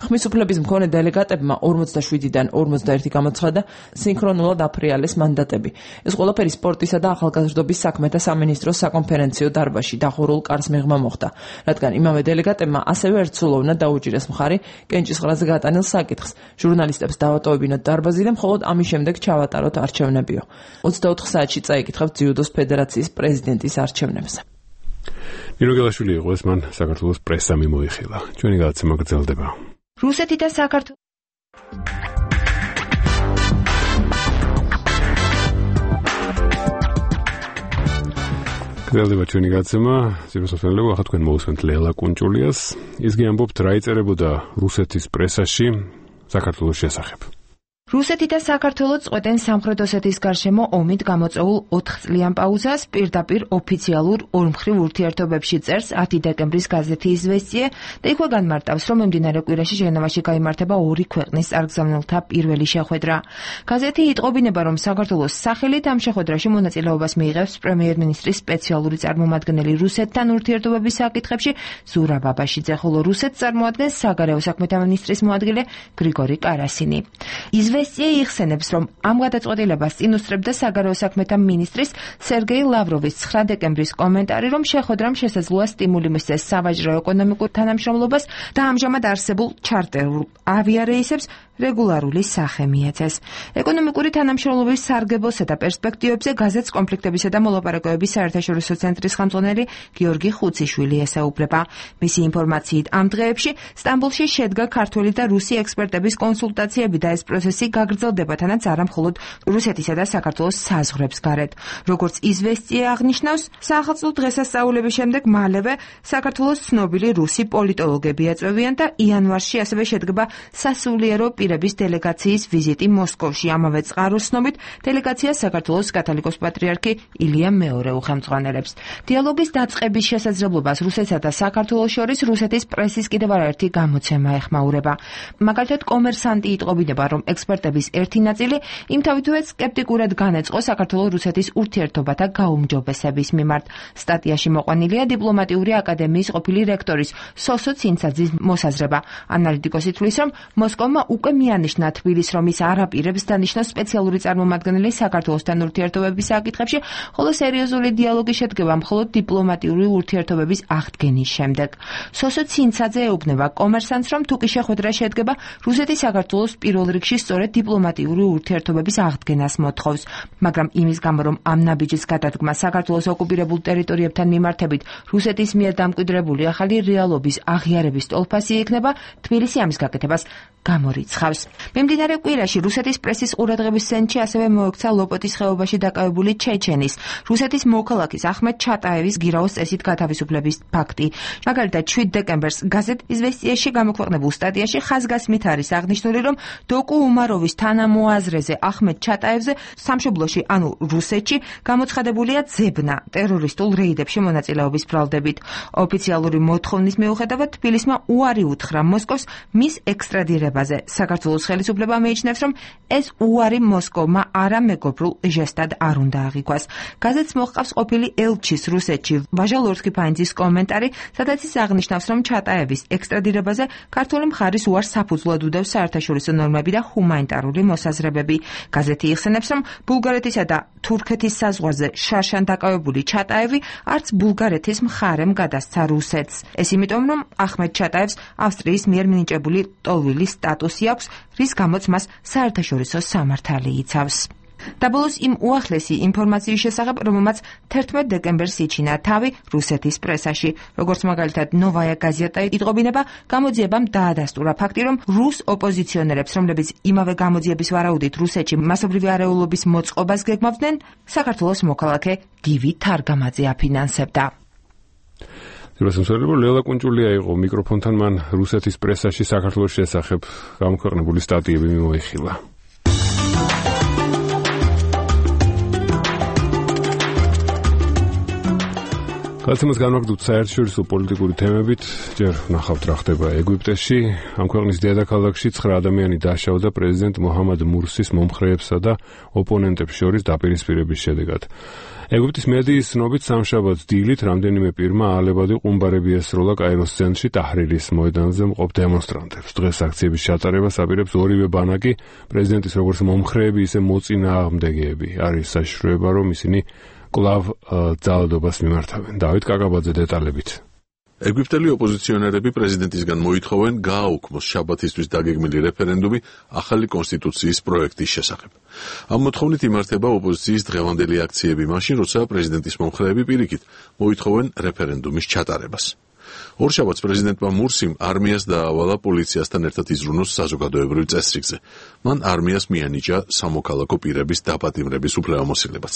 S4: ხმის უფლების მქონე დელეგატებმა 47-დან 51 გამოცხადა სინქრონულად აფრიალეს მანდატები. ეს ყველაფერი სპორტისა და ახალგაზრდობის საქმეთა სამინისტროს საკონფერენციო დარბაზში დახურულ კარს მიღმა მოხდა, რადგან იმავე დელეგატებმა ასევე ერთსულოვნად დაუჭირეს მხარი კენჭისყრაზე გატანილ საკითხს. ჟურნალისტებს დავატოვებინოთ დარბაზი და მხოლოდ ამის შემდეგ ჩავატაროთ არჩევნებიო. 24 საათში წაიკითხავთ ძიუდოს ფედერაციის პრეზიდენტის არჩევნებზე.
S1: ნინო გელაშვილი იყო ეს, მან საქართველოს პრესა მიმოიხილა. ჩვენი გადაცემა გრძელდება.
S15: რუსეთი და საქართველო
S1: გრძელდება ჩვენი გადაცემა. ზიროსოფელები, ახლა თქვენ მოусმენთ ლელა კუნჭულიას. ისგი ამბობთ, რა იწერებოდა რუსეთის პრესაში საქართველოს შესახებ.
S15: რუსეთი და საქართველო წყვეტენ სამხრეთ ოსეთის გარშემო ომით გამოწვეულ 4 წლიან პაუზას პირდაპირ ოფიციალურ ორმხრივ ურთიერთობებში, წერს 10 დეკემბრის გაზეთი „იზვესტიე“ და იქვე განმარტავს, რომ მიმდინარე კვირაში ჟენევაში გაიმართება 2 ქვეყნის წარგზავნილთა პირველი შეხვედრა. გაზეთი იტყობინება, რომ საქართველოს სახელით ამ შეხვედრაში მონაწილეობას მიიღებს პრემიერ-მინისტრის სპეციალური წარმომადგენელი რუსეთთან ურთიერთობების საკითხებში ზურაბ აბაშიძე, ხოლო რუსეთს წარმოადგენს საგარეო საქმეთა მინისტრის მოადგილე გრიგორი კარასინი. „იზვესტიე“ იხსენებს, რომ ამ გადაწყვეტილებას წინ უსწრებდა საგარეო საქმეთა მინისტრის სერგეი ლავროვის 9 დეკემბრის კომენტარი, რომ შეხვედრამ შესაძლოა სტიმული მისცეს სავაჭრო ეკონომიკურ თანამშრომლობას და ამჟამად არსებულ ჩარტერულ ავიარეისებს რეგულარული სახე მიეცეს. ეკონომიკური თანამშრომლობის სარგებოსა და პერსპექტივებზე გაზეთს კონფლიქტებისა და მოლაპარაკებების საერთაშორისო ცენტრის ხელმძღვანელი გიორგი ხუციშვილი ესაუბრება. მისი ინფორმაციით, ამ დღეებში სტამბოლში შედგა ქართველი და რუსი ექსპერტების კონსულტაციები და ეს პროცესი გაგრძელდება, თანაც არა მხოლოდ რუსეთისა და საქართველოს საზღვრებს გარეთ. როგორც „იზვესტიე“ აღნიშნავს, საახალწლო დღესასწაულების შემდეგ მალევე საქართველოს ცნობილი რუსი პოლიტოლოგები ეწვევიან და იანვარში ასევე შედგება სასულიერო პირების დელეგაციის ვიზიტი მოსკოვში. ამავე წყაროს ცნობით, დელეგაცია საქართველოს კათოლიკოს პატრიარქი ილია მეორე უხელმძღვანელებს. დიალოგის დაწყების შესაძლებლობას რუსეთსა და საქართველოს შორის რუსეთის პრესის კიდევ არაერთი გამოცემა ეხმაურება. მაგალითად, კომერსანტი იტყობინება, რომ ექსპერტების ერთი ნაწილი იმთავითვე სკეპტიკურად განეწყო საქართველოს-რუსეთის ურთიერთობათა გაუმჯობესების მიმართ. სტატიაში მოყვანილია დიპლომატიური აკადემიის ყოფილი რექტორის სოსო ცინცაძის მოსაზრება. ანალიტიკოსი თვლის, რომ მოსკოვმა უკვე მიანიშნა თბილისს, რომ ის არ აპირებს დანიშნოს სპეციალური წარმომადგენელი საქართველოსთან ურთიერთობების საკითხებში, ხოლო სერიოზული დიალოგი შედგება მხოლოდ დიპლომატიური ურთიერთობების აღდგენის შემდეგ. სოსო ცინცაძე ეუბნება კომერსანტს, რომ თუკი შეხვედრა შედგება, რუსეთი საქართველოს პირველ რიგში სწორედ დიპლომატიური ურთიერთობების აღდგენას მოთხოვს, მაგრამ იმის გამო, რომ ამ ნაბიჯის გადადგმა საქართველოს ოკუპირებულ ტერიტორიებთან მიმართებით რუსეთის მიერ დამკვიდრებული ახალი რეალობის აღიარების ტოლფასი იქნება, თბილისი ამის გაკეთებას გამორიცხავს. მიმდინარე კვირაში რუსეთის პრესის ყურადღების ცენტრში ასევე მოექცა ლოპოტის ხეობაში დაკავებული ჩეჩენის, რუსეთის მოქალაქის ახმედ ჩატაევის გირაოს წესით გათავისუფლების ფაქტი. მაგალითად, 7 დეკემბერს გაზეთ „იზვესტიეში“ გამოქვეყნებულ სტატიაში ხაზგასმით არის აღნიშნული, რომ დოკუ უმაროვის თანამოაზრეზე ახმედ ჩატაევზე სამშობლოში, ანუ რუსეთში, გამოცხადებულია ძებნა ტერორისტულ რეიდებში მონაწილეობის ბრალდებით. ოფიციალური მოთხოვნის მიუხედავად, თბილისმა უარი უთხრა მოსკოვს მის ექსტრადირებაზე. საქართველოს ხელისუფლება მიიჩნევს, რომ ეს უარი მოსკოვმა არამეგობრულ ჟესტად არ უნდა აღიქვას. გაზეთს მოჰყავს ყოფილი ელჩის რუსეთში ვაჟა ლორსკი-ფაინძის კომენტარი, სადაც ის აღნიშნავს, რომ ჩატაევის ექსტრადირებაზე ქართული მხარის უარს საფუძვლად უდევს საერთაშორისო ნორმები და ჰუმანიტარული მოსაზრებები. გაზეთი იხსენებს, რომ ბულგარეთისა და თურქეთის საზღვარზე შარშან დაკავებული ჩატაევი არც ბულგარეთის მხარემ გადასცა რუსეთს. ეს იმიტომ, რომ ახმედ ჩატაევს ავსტრიის მიერ მინიჭებული ტოლვილის სტატუსი აქვს, რის გამოც მას საერთაშორისო სამართალი იცავს. დაბოლოს იმ უახლესი ინფორმაციის შესახებ, რომელმაც 11 დეკემბერს იჩინა თავი რუსეთის პრესაში. როგორც მაგალითად ნოვაია გაზეტა იტყობინება, გამოძიებამ დაადასტურა ფაქტი, რომ რუს ოპოზიციონერებს, რომლებიც იმავე გამოძიების ვარაუდით რუსეთში მასობრივი არეულობის მოწყობას გეგმავდნენ, საქართველოს მოქალაქე გივი თარგამაძე აფინანსებდა.
S1: რუსეთსმსვლელი ლელა კუნჭულია იყო მიკროფონთან, მან რუსეთის პრესაში საქართველოს შესახებ გამოქვეყნებული სტატიები მიმოიხილა. გადაცემას განვაგრძობთ საერთაშორისო პოლიტიკური თემებით. ჯერ ვნახავთ რა ხდება ეგვიპტეში. ამ ქვეყნის დედაქალაქში 9 ადამიანი დაშავდა პრეზიდენტ მოჰამად მურსის მომხრეებსა და ოპონენტებს შორის დაპირისპირების შედეგად. ეგვიპტის მედიის ცნობით სამშაბათს დილით რამდენიმე პირმა აალებადი ყუმბარები ესროლა კაიროს ცენტრში ტაჰრირის მოედანზე მყოფ დემონსტრანტებს. დღეს აქციების ჩატარებას აპირებს ორივე ბანაკი, პრეზიდენტის როგორც მომხრეები, ისე მოწინააღმდეგეები. არის საშიშროება, რომ ისინი კლავ ძალადობას მიმართავენ. დავით კაკაბაძე დეტალებით.
S16: ეგვიპტელი ოპოზიციონერები პრეზიდენტისგან მოითხოვენ გააუქმოს შაბათისთვის დაგეგმილი რეფერენდუმი ახალი კონსტიტუციის პროექტის შესახებ. ამ მოთხოვნით იმართება ოპოზიციის დღევანდელი აქციები მაშინ, როცა პრეზიდენტის მომხრეები პირიქით მოითხოვენ რეფერენდუმის ჩატარებას. ორშაბათს პრეზიდენტმა მურსიმ არმიას დაავალა პოლიციასთან ერთად იზრუნოს საზოგადოებრივ წესრიგზე. მან არმიას მიანიჭა სამოქალაქო პირების დაპატიმრების უფლებამოსილებაც.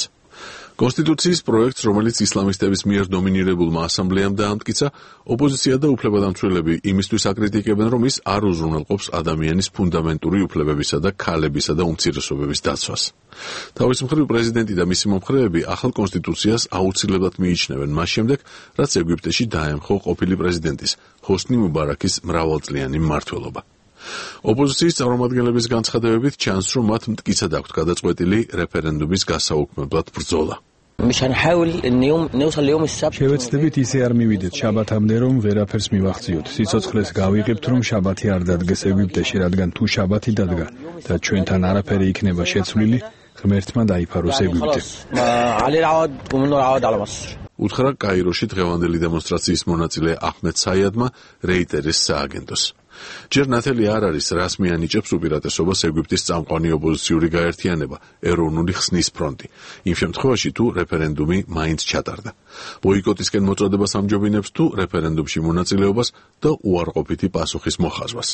S16: კონსტიტუციის პროექტს, რომელიც ისლამისტების მიერ დომინირებულმა ასამბლეამ დაამტკიცა, ოპოზიცია და უფლებადამცველები იმისთვის აკრიტიკებენ, რომ ის არ უზრუნველყოფს ადამიანის ფუნდამენტური უფლებებისა და ქალებისა და უმცირესობების დაცვას. თავის მხრივ პრეზიდენტი და მისი მომხრეები ახალ კონსტიტუციას აუცილებლად მიიჩნევენ მას შემდეგ, რაც ეგვიპტეში დაემხო ყოფილი პრეზიდენტის ჰოსნი მუბარაკის მრავალწლიანი მმართველობა. ოპოზიციის წარმომადგენლების განცხადებებით ჩანს, რომ მათ მტკიცად აქვთ გადაწყვეტილი რეფერენდუმის გასაუქმებლად ბრძოლა.
S17: შევეცდებით ისე არ მივიდეთ შაბათამდე, რომ ვერაფერს მივახციოთ. სიცოცხლეს გავიღებთ, რომ შაბათი არ დადგეს ეგვიპტეში, რადგან თუ შაბათი დადგა და ჩვენთან არაფერი იქნება შეცვლილი, ღმერთმა დაიფაროს ეგვიპტე.
S16: უთხრა კაიროში დღევანდელი დემონსტრაციის მონაწილე აჰმედ საიადმა რეიტერის სააგენტოს. ჯერ ნათელი არ არის, რას მიანიჭებს უპირატესობას ეგვიპტის წამყვანი ოპოზიციური გაერთიანება, ეროვნული ხსნის ფრონტი. იმ შემთხვევაში, თუ რეფერენდუმი მაინც ჩატარდა. ბოიკოტისკენ მოწოდებას ამჯობინებს თუ რეფერენდუმში მონაწილეობას და უარყოფითი პასუხის მოხაზვას.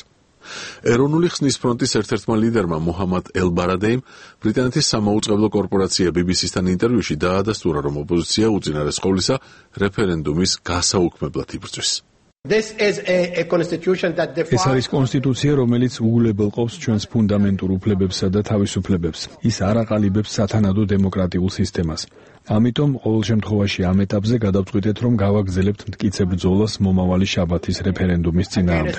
S16: ეროვნული ხსნის ფრონტის ერთ-ერთმა ლიდერმა მოჰამად ელ-ბარადეიმ ბრიტანეთის სამაუწყებლო კორპორაცია BBC-სთან ინტერვიუში დაადასტურა, რომ ოპოზიცია უწინარეს ყოვლისა რეფერენდუმის გასაუქმებლად იბრძვის.
S17: ეს არის კონსტიტუცია, რომელიც უგულებელყოფს ჩვენს ფუნდამენტურ უფლებებსა და თავისუფლებებს. ის არ აყალიბებს სათანადო დემოკრატიულ სისტემას. ამიტომ ყოველ შემთხვევაში ამ ეტაპზე გადავწყვიტეთ, რომ გავაგრძელებთ მტკიცე ბრძოლას მომავალი შაბათის რეფერენდუმის წინააღმდეგ.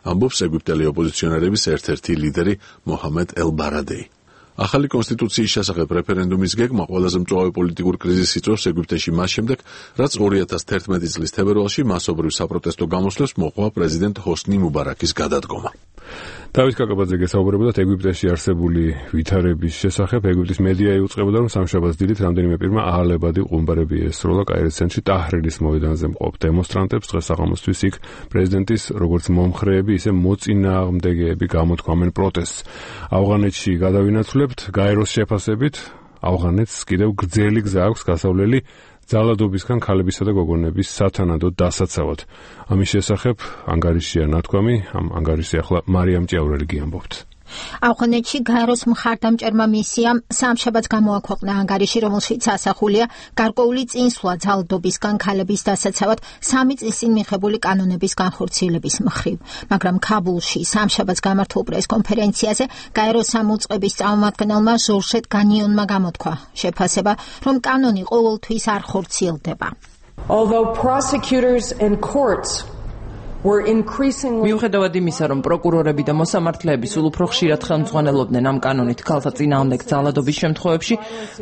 S16: ამბობს ეგვიპტელი ოპოზიციონერების ერთ-ერთი ლიდერი მოჰამედ ელ-ბარადეი. ახალი კონსტიტუციის შესახებ რეფერენდუმის გეგმა ყველაზე მწვავე პოლიტიკურ კრიზისს იწვევს ეგვიპტეში მას შემდეგ, რაც 2011 წლის თებერვალში მასობრივ საპროტესტო გამოსვლებს მოყვა პრეზიდენტ ჰოსნი მუბარაკის გადადგომა.
S1: დავით კაკაბაძე გესაუბრებოდა ეგვიპტეში არსებული ვითარების შესახებ. ეგვიპტის მედია იუწყებოდა, რომ სამშაბათს დილით რამდენიმე პირმა აალებადი ყუმბარები ესროლა კაირის ცენტრში ტაჰრირის მოედანზე მყოფ დემონსტრანტებს. დღეს საღამოსთვის იქ პრეზიდენტის როგორც მომხრეები, ისე მოწინააღმდეგეები გამოთქვამენ პროტესტს. ავღანეთში გადავინაცვლებთ გაეროს შეფასებით, ავღანეთს კიდევ გრძელი გზა აქვს გასავლელი ძალადობისგან ქალებისა და გოგონების სათანადო დასაცავად. ამის შესახებ ანგარიშია ნათქვამი, ამ ანგარიშზე ახლა მარიამ ჭიაურელი გიამბობთ.
S2: ავღანეთში გაეროს მხარდამჭერმა მისიამ სამშაბათს გამოაქვეყნა ანგარიში, რომელშიც ასახულია გარკვეული წინსვლა ძალადობისგან ქალების დასაცავად 3 წლის წინ მიღებული კანონების განხორციელების მხრივ. მაგრამ ქაბულში სამშაბათს გამართულ პრესკონფერენციაზე გაეროს სამუწყების წარმომადგენელმა ჟორჟეტ განიონმა გამოთქვა შეფასება, რომ კანონი ყოველთვის არ ხორციელდება.
S19: Although prosecutors and courts
S4: მიუხედავად იმისა, რომ პროკურორები და მოსამართლეები სულ უფრო ხშირად ხელმძღვანელობდნენ ამ კანონით ქალთა წინააღმდეგ ძალადობის შემთხვევებში,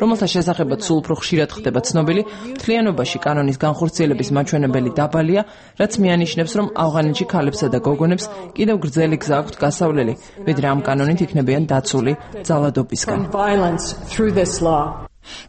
S4: რომელთა შესახებაც სულ უფრო ხშირად ხდება ცნობილი, მთლიანობაში კანონის განხორციელების მაჩვენებელი დაბალია, რაც მიანიშნებს, რომ ავღანეთში ქალებსა და გოგონებს კიდევ გრძელი გზა აქვთ გასავლელი, ვიდრე ამ კანონით იქნებიან დაცული ძალადობისგან.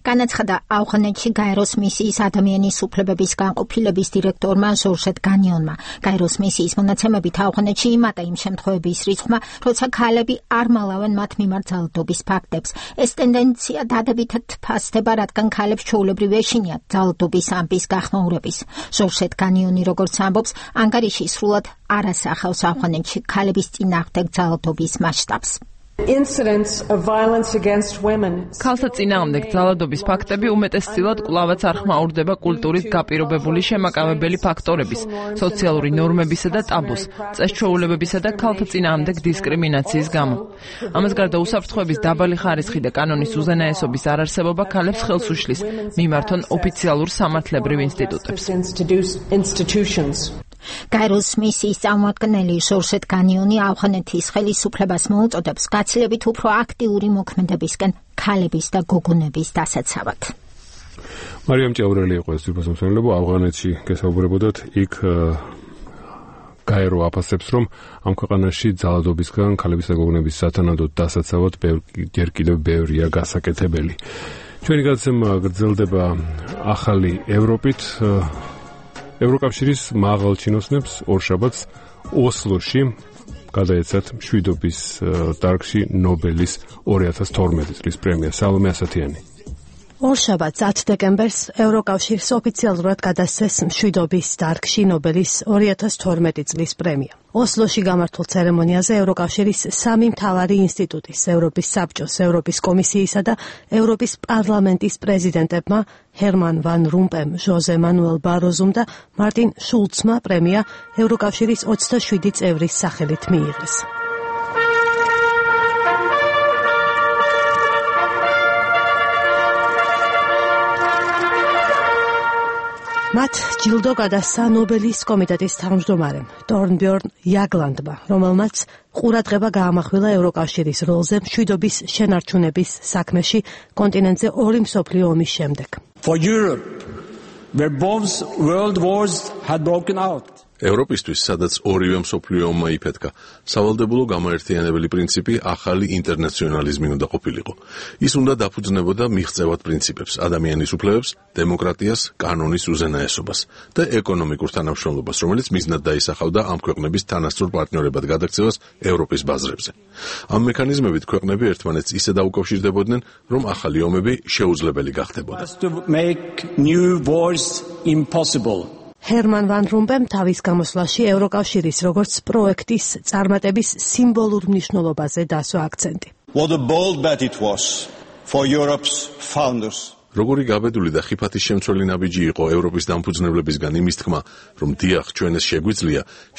S2: განაცხადა ავღანეთში გაეროს მისიის ადამიანის უფლებების განყოფილების დირექტორმა ჟორჟეტ განიონმა. გაეროს მისიის მონაცემებით ავღანეთში იმატა იმ შემთხვევების რიცხვმა, როცა ქალები არ მალავენ მათ მიმართ ძალადობის ფაქტებს. ეს ტენდენცია დადებითად ფასდება, რადგან ქალებს ჩვეულებრივ ეშინიათ ძალადობის ამბის გახმაურების. ჟორჟეტ განიონი, როგორც ამბობს, ანგარიში სრულად არ ასახავს ავღანეთში ქალების წინააღმდეგ ძალადობის მასშტაბს.
S4: ქალთა წინააღმდეგ ძალადობის ფაქტები უმეტესწილად კვლავაც არ ხმაურდება კულტურით გაპირობებული შემაკავებელი ფაქტორების, სოციალური ნორმებისა და ტაბუს, წესჩვეულებებისა და ქალთა წინააღმდეგ დისკრიმინაციის გამო. ამას გარდა უსაფრთხოების დაბალი ხარისხი და კანონის უზენაესობის არარსებობა ქალებს ხელს უშლის მიმართონ ოფიციალურ სამართლებრივ ინსტიტუტებს.
S2: გაეროს მისიის წარმომადგენელი ჟორჟეტ განიონი ავღანეთის ხელისუფლებას მოუწოდებს გაცილებით უფრო აქტიური მოქმედებისკენ ქალების და გოგონების დასაცავად.
S1: მარიამ ჭაურელი იყო ეს თვითმსახურებო ავღანეთში გესაუბრებოდათ იქ გაერო აფასებს რომ ამ ქვეყანაში ძალადობისგან ქალების და გოგონების სათანადოდ დასაცავად ჯერ კიდევ ბევრია გასაკეთებელი. ჩვენი გადაცემა გრძელდება ახალი ევროპით. ევროკავშირის მაღალ ჩინოსნებს ორშაბათს ოსლოში გადაეცათ მშვიდობის დარგში ნობელის 2012 წლის პრემია. სალომე ასათიანი.
S3: ორშაბათს 10 დეკემბერს ევროკავშირს ოფიციალურად გადასცეს მშვიდობის დარგში ნობელის 2012 წლის პრემია. ოსლოში გამართულ ცერემონიაზე ევროკავშირის სამი მთავარი ინსტიტუტის, ევროპის საბჭოს, ევროპის კომისიისა და ევროპის პარლამენტის პრეზიდენტებმა ჰერმან ვან რომპემ, ჟოზე მანუელ ბაროზუმ და მარტინ შულცმა პრემია ევროკავშირის 27 წევრის სახელით მიიღეს. მათ ჯილდო გადასცა ნობელის კომიტეტის თავმჯდომარემ თორნბjörn იაგლანდმა, რომელმაც ყურადღება გაამახვილა ევროკავშირის როლზე მშვიდობის შენარჩუნების საქმეში კონტინენტზე ორი მსოფლიო ომის შემდეგ.
S8: For Europe, where both world wars had broken out.
S16: ევროპისთვის, სადაც ორივე მსოფლიო ომმა იფეთქა, სავალდებულო გამოერთიანებელი პრინციპი ახალი ინტერნაციონალიზმი უნდა ყოფილიყო. ის უნდა დაფუძნებოდა მიღწევად პრინციპებს, ადამიანის უფლებებს, დემოკრატიას, კანონის უზენაესობას და ეკონომიკურ თანამშრომლობას, რომელიც მიზნად დაისახავდა ამ ქვეყნების თანასწორ პარტნიორებად გადაქცევას ევროპის ბაზრებზე. ამ მექანიზმებით ქვეყნები ერთმანეთს ისე დაუკავშირდებოდნენ, რომ ახალი ომები შეუძლებელი გახდებოდა.
S3: ჰერმან ვან რომპემ თავის გამოსვლაში ევროკავშირის როგორც პროექტის წარმატების სიმბოლურ მნიშვნელობაზე დასვა აქცენტი.
S8: What a bold bet it was for Europe's founders.
S16: როგორი გაბედული და ხიფათის შემცველი ნაბიჯი იყო ევროპის დამფუძნებლებისგან იმის თქმა, რომ დიახ, ჩვენ ეს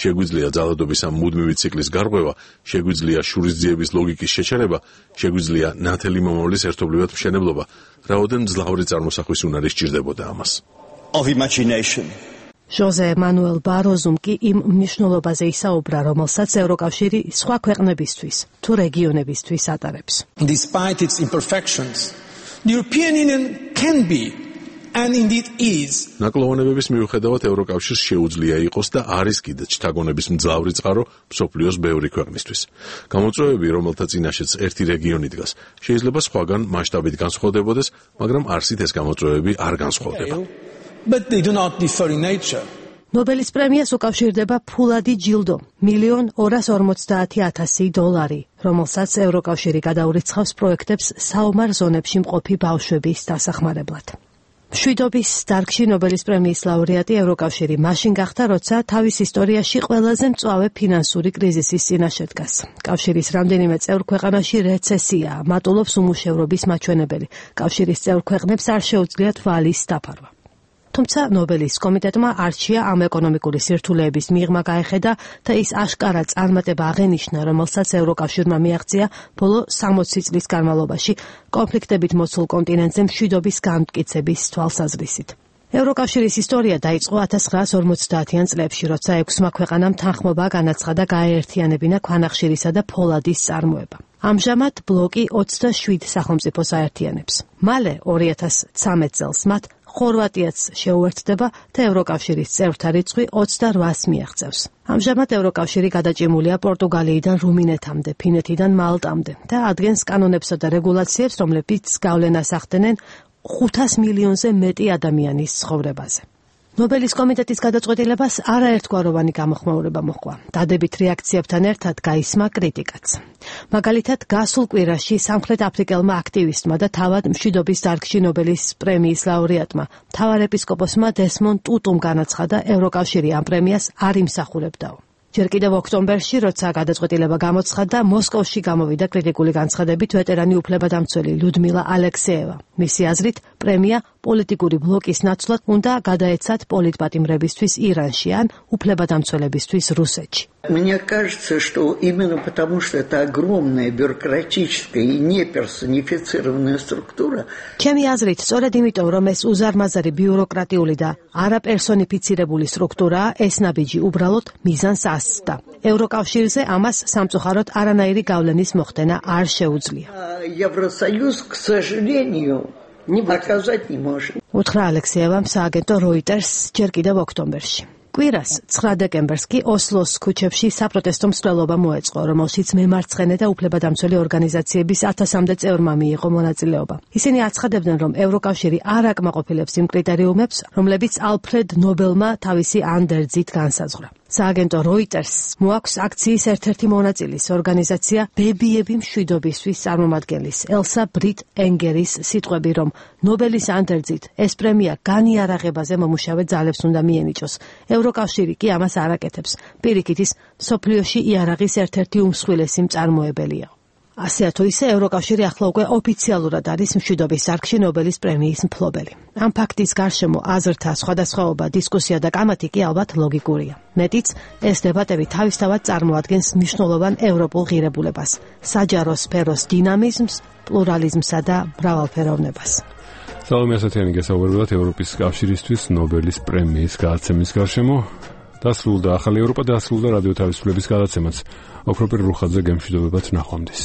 S16: შეგვიძლია ძალადობის ამ მუდმივი ციკლის გარღვევა, შეგვიძლია შურისძიების ლოგიკის შეჩერება, შეგვიძლია ნათელი მომავლის ერთობლივად მშენებლობა, რაოდენ მძლავრი წარმოსახვის უნარი სჭირდებოდა ამას.
S8: Of imagination.
S3: ჟოზე მანუელ ბაროზუმ კი იმ მნიშვნელობაზე ისაუბრა, რომელსაც ევროკავშირი სხვა ქვეყნებისთვის თუ რეგიონებისთვის ატარებს.
S8: Despite its imperfections, the European Union can be and indeed is.
S16: ნაკლოვანებების მიუხედავად ევროკავშირს შეუძლია იყოს და არის კიდეც შთაგონების მძლავრი წყარო მსოფლიოს ბევრი ქვეყნისთვის. გამოწვევები, რომელთა წინაშეც ერთი რეგიონი დგას, შეიძლება სხვაგან მასშტაბით განსხვავდებოდეს, მაგრამ არსით ეს გამოწვევები არ განსხვავდება.
S8: But they do not differ in nature.
S3: ნობელის პრემიას უკავშირდება ფულადი ჯილდო, $1,450,000, რომელსაც ევროკავშირი გადაურიცხავს პროექტებს საომარ ზონებში მყოფი ბავშვების დასახმარებლად. მშვიდობის დარგში ნობელის პრემიის ლაურეატი ევროკავშირი მაშინ გახდა, როცა თავის ისტორიაში ყველაზე მწვავე ფინანსური კრიზისის წინაშე დგას. კავშირის რამდენიმე წევრ ქვეყანაში რეცესიაა, მატულობს უმუშევრობის მაჩვენებელი. კავშირის წევრ ქვეყნებს არ შეუძლიათ ვალის დაფარვა. თუმცა ნობელის კომიტეტმა არჩია ამ ეკონომიკური სირთულეების მიღმა გაეხედა და ის აშკარა წარმატება აღენიშნა, რომელსაც ევროკავშირმა მიაღწია ბოლო 60 წლის განმავლობაში კონფლიქტებით მოცულ კონტინენტზე მშვიდობის განმტკიცების თვალსაზრისით. ევროკავშირის ისტორია დაიწყო 1950-იან წლებში, როცა 6 ქვეყანამ თანხმობა განაცხადა გაეერთიანებინა ქვანახშირისა და ფოლადის წარმოება. ამჟამად ბლოკი 27 სახელმწიფოს აერთიანებს. მალე 2013 წელს მათ ხორვატიაც შეუერთდება და ევროკავშირის წევრთა რიცხვი 28-ს მიაღწევს. ამჟამად ევროკავშირი გადაჭიმულია პორტუგალიიდან რუმინეთამდე, ფინეთიდან მალტამდე და ადგენს კანონებსა და რეგულაციებს, რომლებიც გავლენას ახდენენ 500 მილიონზე მეტი ადამიანის ცხოვრებაზე. ნობელის კომიტეტის გადაწყვეტილებას არაერთგვაროვანი გამოხმაურება მოჰყვა. დადებით რეაქციებთან ერთად გაისმა კრიტიკაც. მაგალითად, გასულ კვირაში სამხრეთ აფრიკელმა აქტივისტმა და თავად მშვიდობის დარგში ნობელის პრემიის ლაურეატმა, მთავარეპისკოპოსმა დესმონ ტუტუმ განაცხადა, ევროკავშირი ამ პრემიას არ იმსახურებდაო. ჯერ კიდევ ოქტომბერში, როცა გადაწყვეტილება გამოცხადდა, მოსკოვში გამოვიდა კრიტიკული განცხადებით ვეტერანი უფლებადამცველი ლიუდმილა ალექსეევა. მისი აზრით, პრემია პოლიტიკური ბლოკის ნაცვლად უნდა გადაეცათ პოლიტპატიმრებისთვის ირანში ან უფლებადამცველებისთვის რუსეთში.
S5: Мне кажется, что именно потому, что это огромная бюрократическая и неперсонифицированная структура.
S3: ჩემი აზრით, სწორედ იმიტომ, რომ ეს უზარმაზარი ბიუროკრატიული და არაპერსონიფიცირებული სტრუქტურაა, ეს ნაბიჯი უბრალოდ მიზანს ასწდა. ევროკავშირზე ამას სამწუხაროდ არანაირი გავლენის მოხდენა არ შეუძლია.
S5: Евросоюз, к сожалению, оказать не может.
S3: უთხრა ალექსეევამ სააგენტო Reuters ჯერ კიდევ ოქტომბერში. კვირას 9 დეკემბერს კი ოსლოს ქუჩებში საპროტესტო მსვლელობა მოეწყო, რომელშიც მემარცხენე და უფლებადამცველი ორგანიზაციების 1000-მდე წევრმა მიიღო მონაწილეობა. ისინი აცხადებდნენ, რომ ევროკავშირი არ აკმაყოფილებს იმ კრიტერიუმებს, რომლებიც ალფრედ ნობელმა თავისი ანდერძით განსაზღვრა. სააგენტო Reuters მოაქვს აქციის ერთ-ერთი მონაწილის ორგანიზაცია ბებიები მშვიდობისთვის წარმომადგენლის ელსა ბრიტ ენგერის სიტყვები, რომ ნობელის ანდერძით ეს პრემია განიარაღებაზე მომუშავე ძალებს უნდა მიენიჭოს. ევროკავშირი კი ამას არ აკეთებს. პირიქით ის მსოფლიოში იარაღის ერთ-ერთი უმსხვილესი მწარმოებელია. ასე თუ ისე ევროკავშირი ახლა უკვე ოფიციალურად არის მშვიდობის დარგში ნობელის პრემიის მფლობელი. ამ ფაქტის გარშემო აზრთა სხვადასხვაობა, დისკუსია და კამათი კი ალბათ ლოგიკურია. მეტიც, ეს დებატები თავისთავად წარმოადგენს მნიშვნელოვან ევროპულ ღირებულებას, საჯარო სფეროს დინამიზმს, პლურალიზმსა და მრავალფეროვნებას.
S1: სალომე ასათიანი გესაუბრებათ ევროპის კავშირისთვის ნობელის პრემიის გადაცემის გარშემო. დასრულდა ახალი ევროპა, დასრულდა რადიო თავისუფლების გადაცემაც. ოქროპირ რუხაძე გემშვიდობებათ ნახვამდის.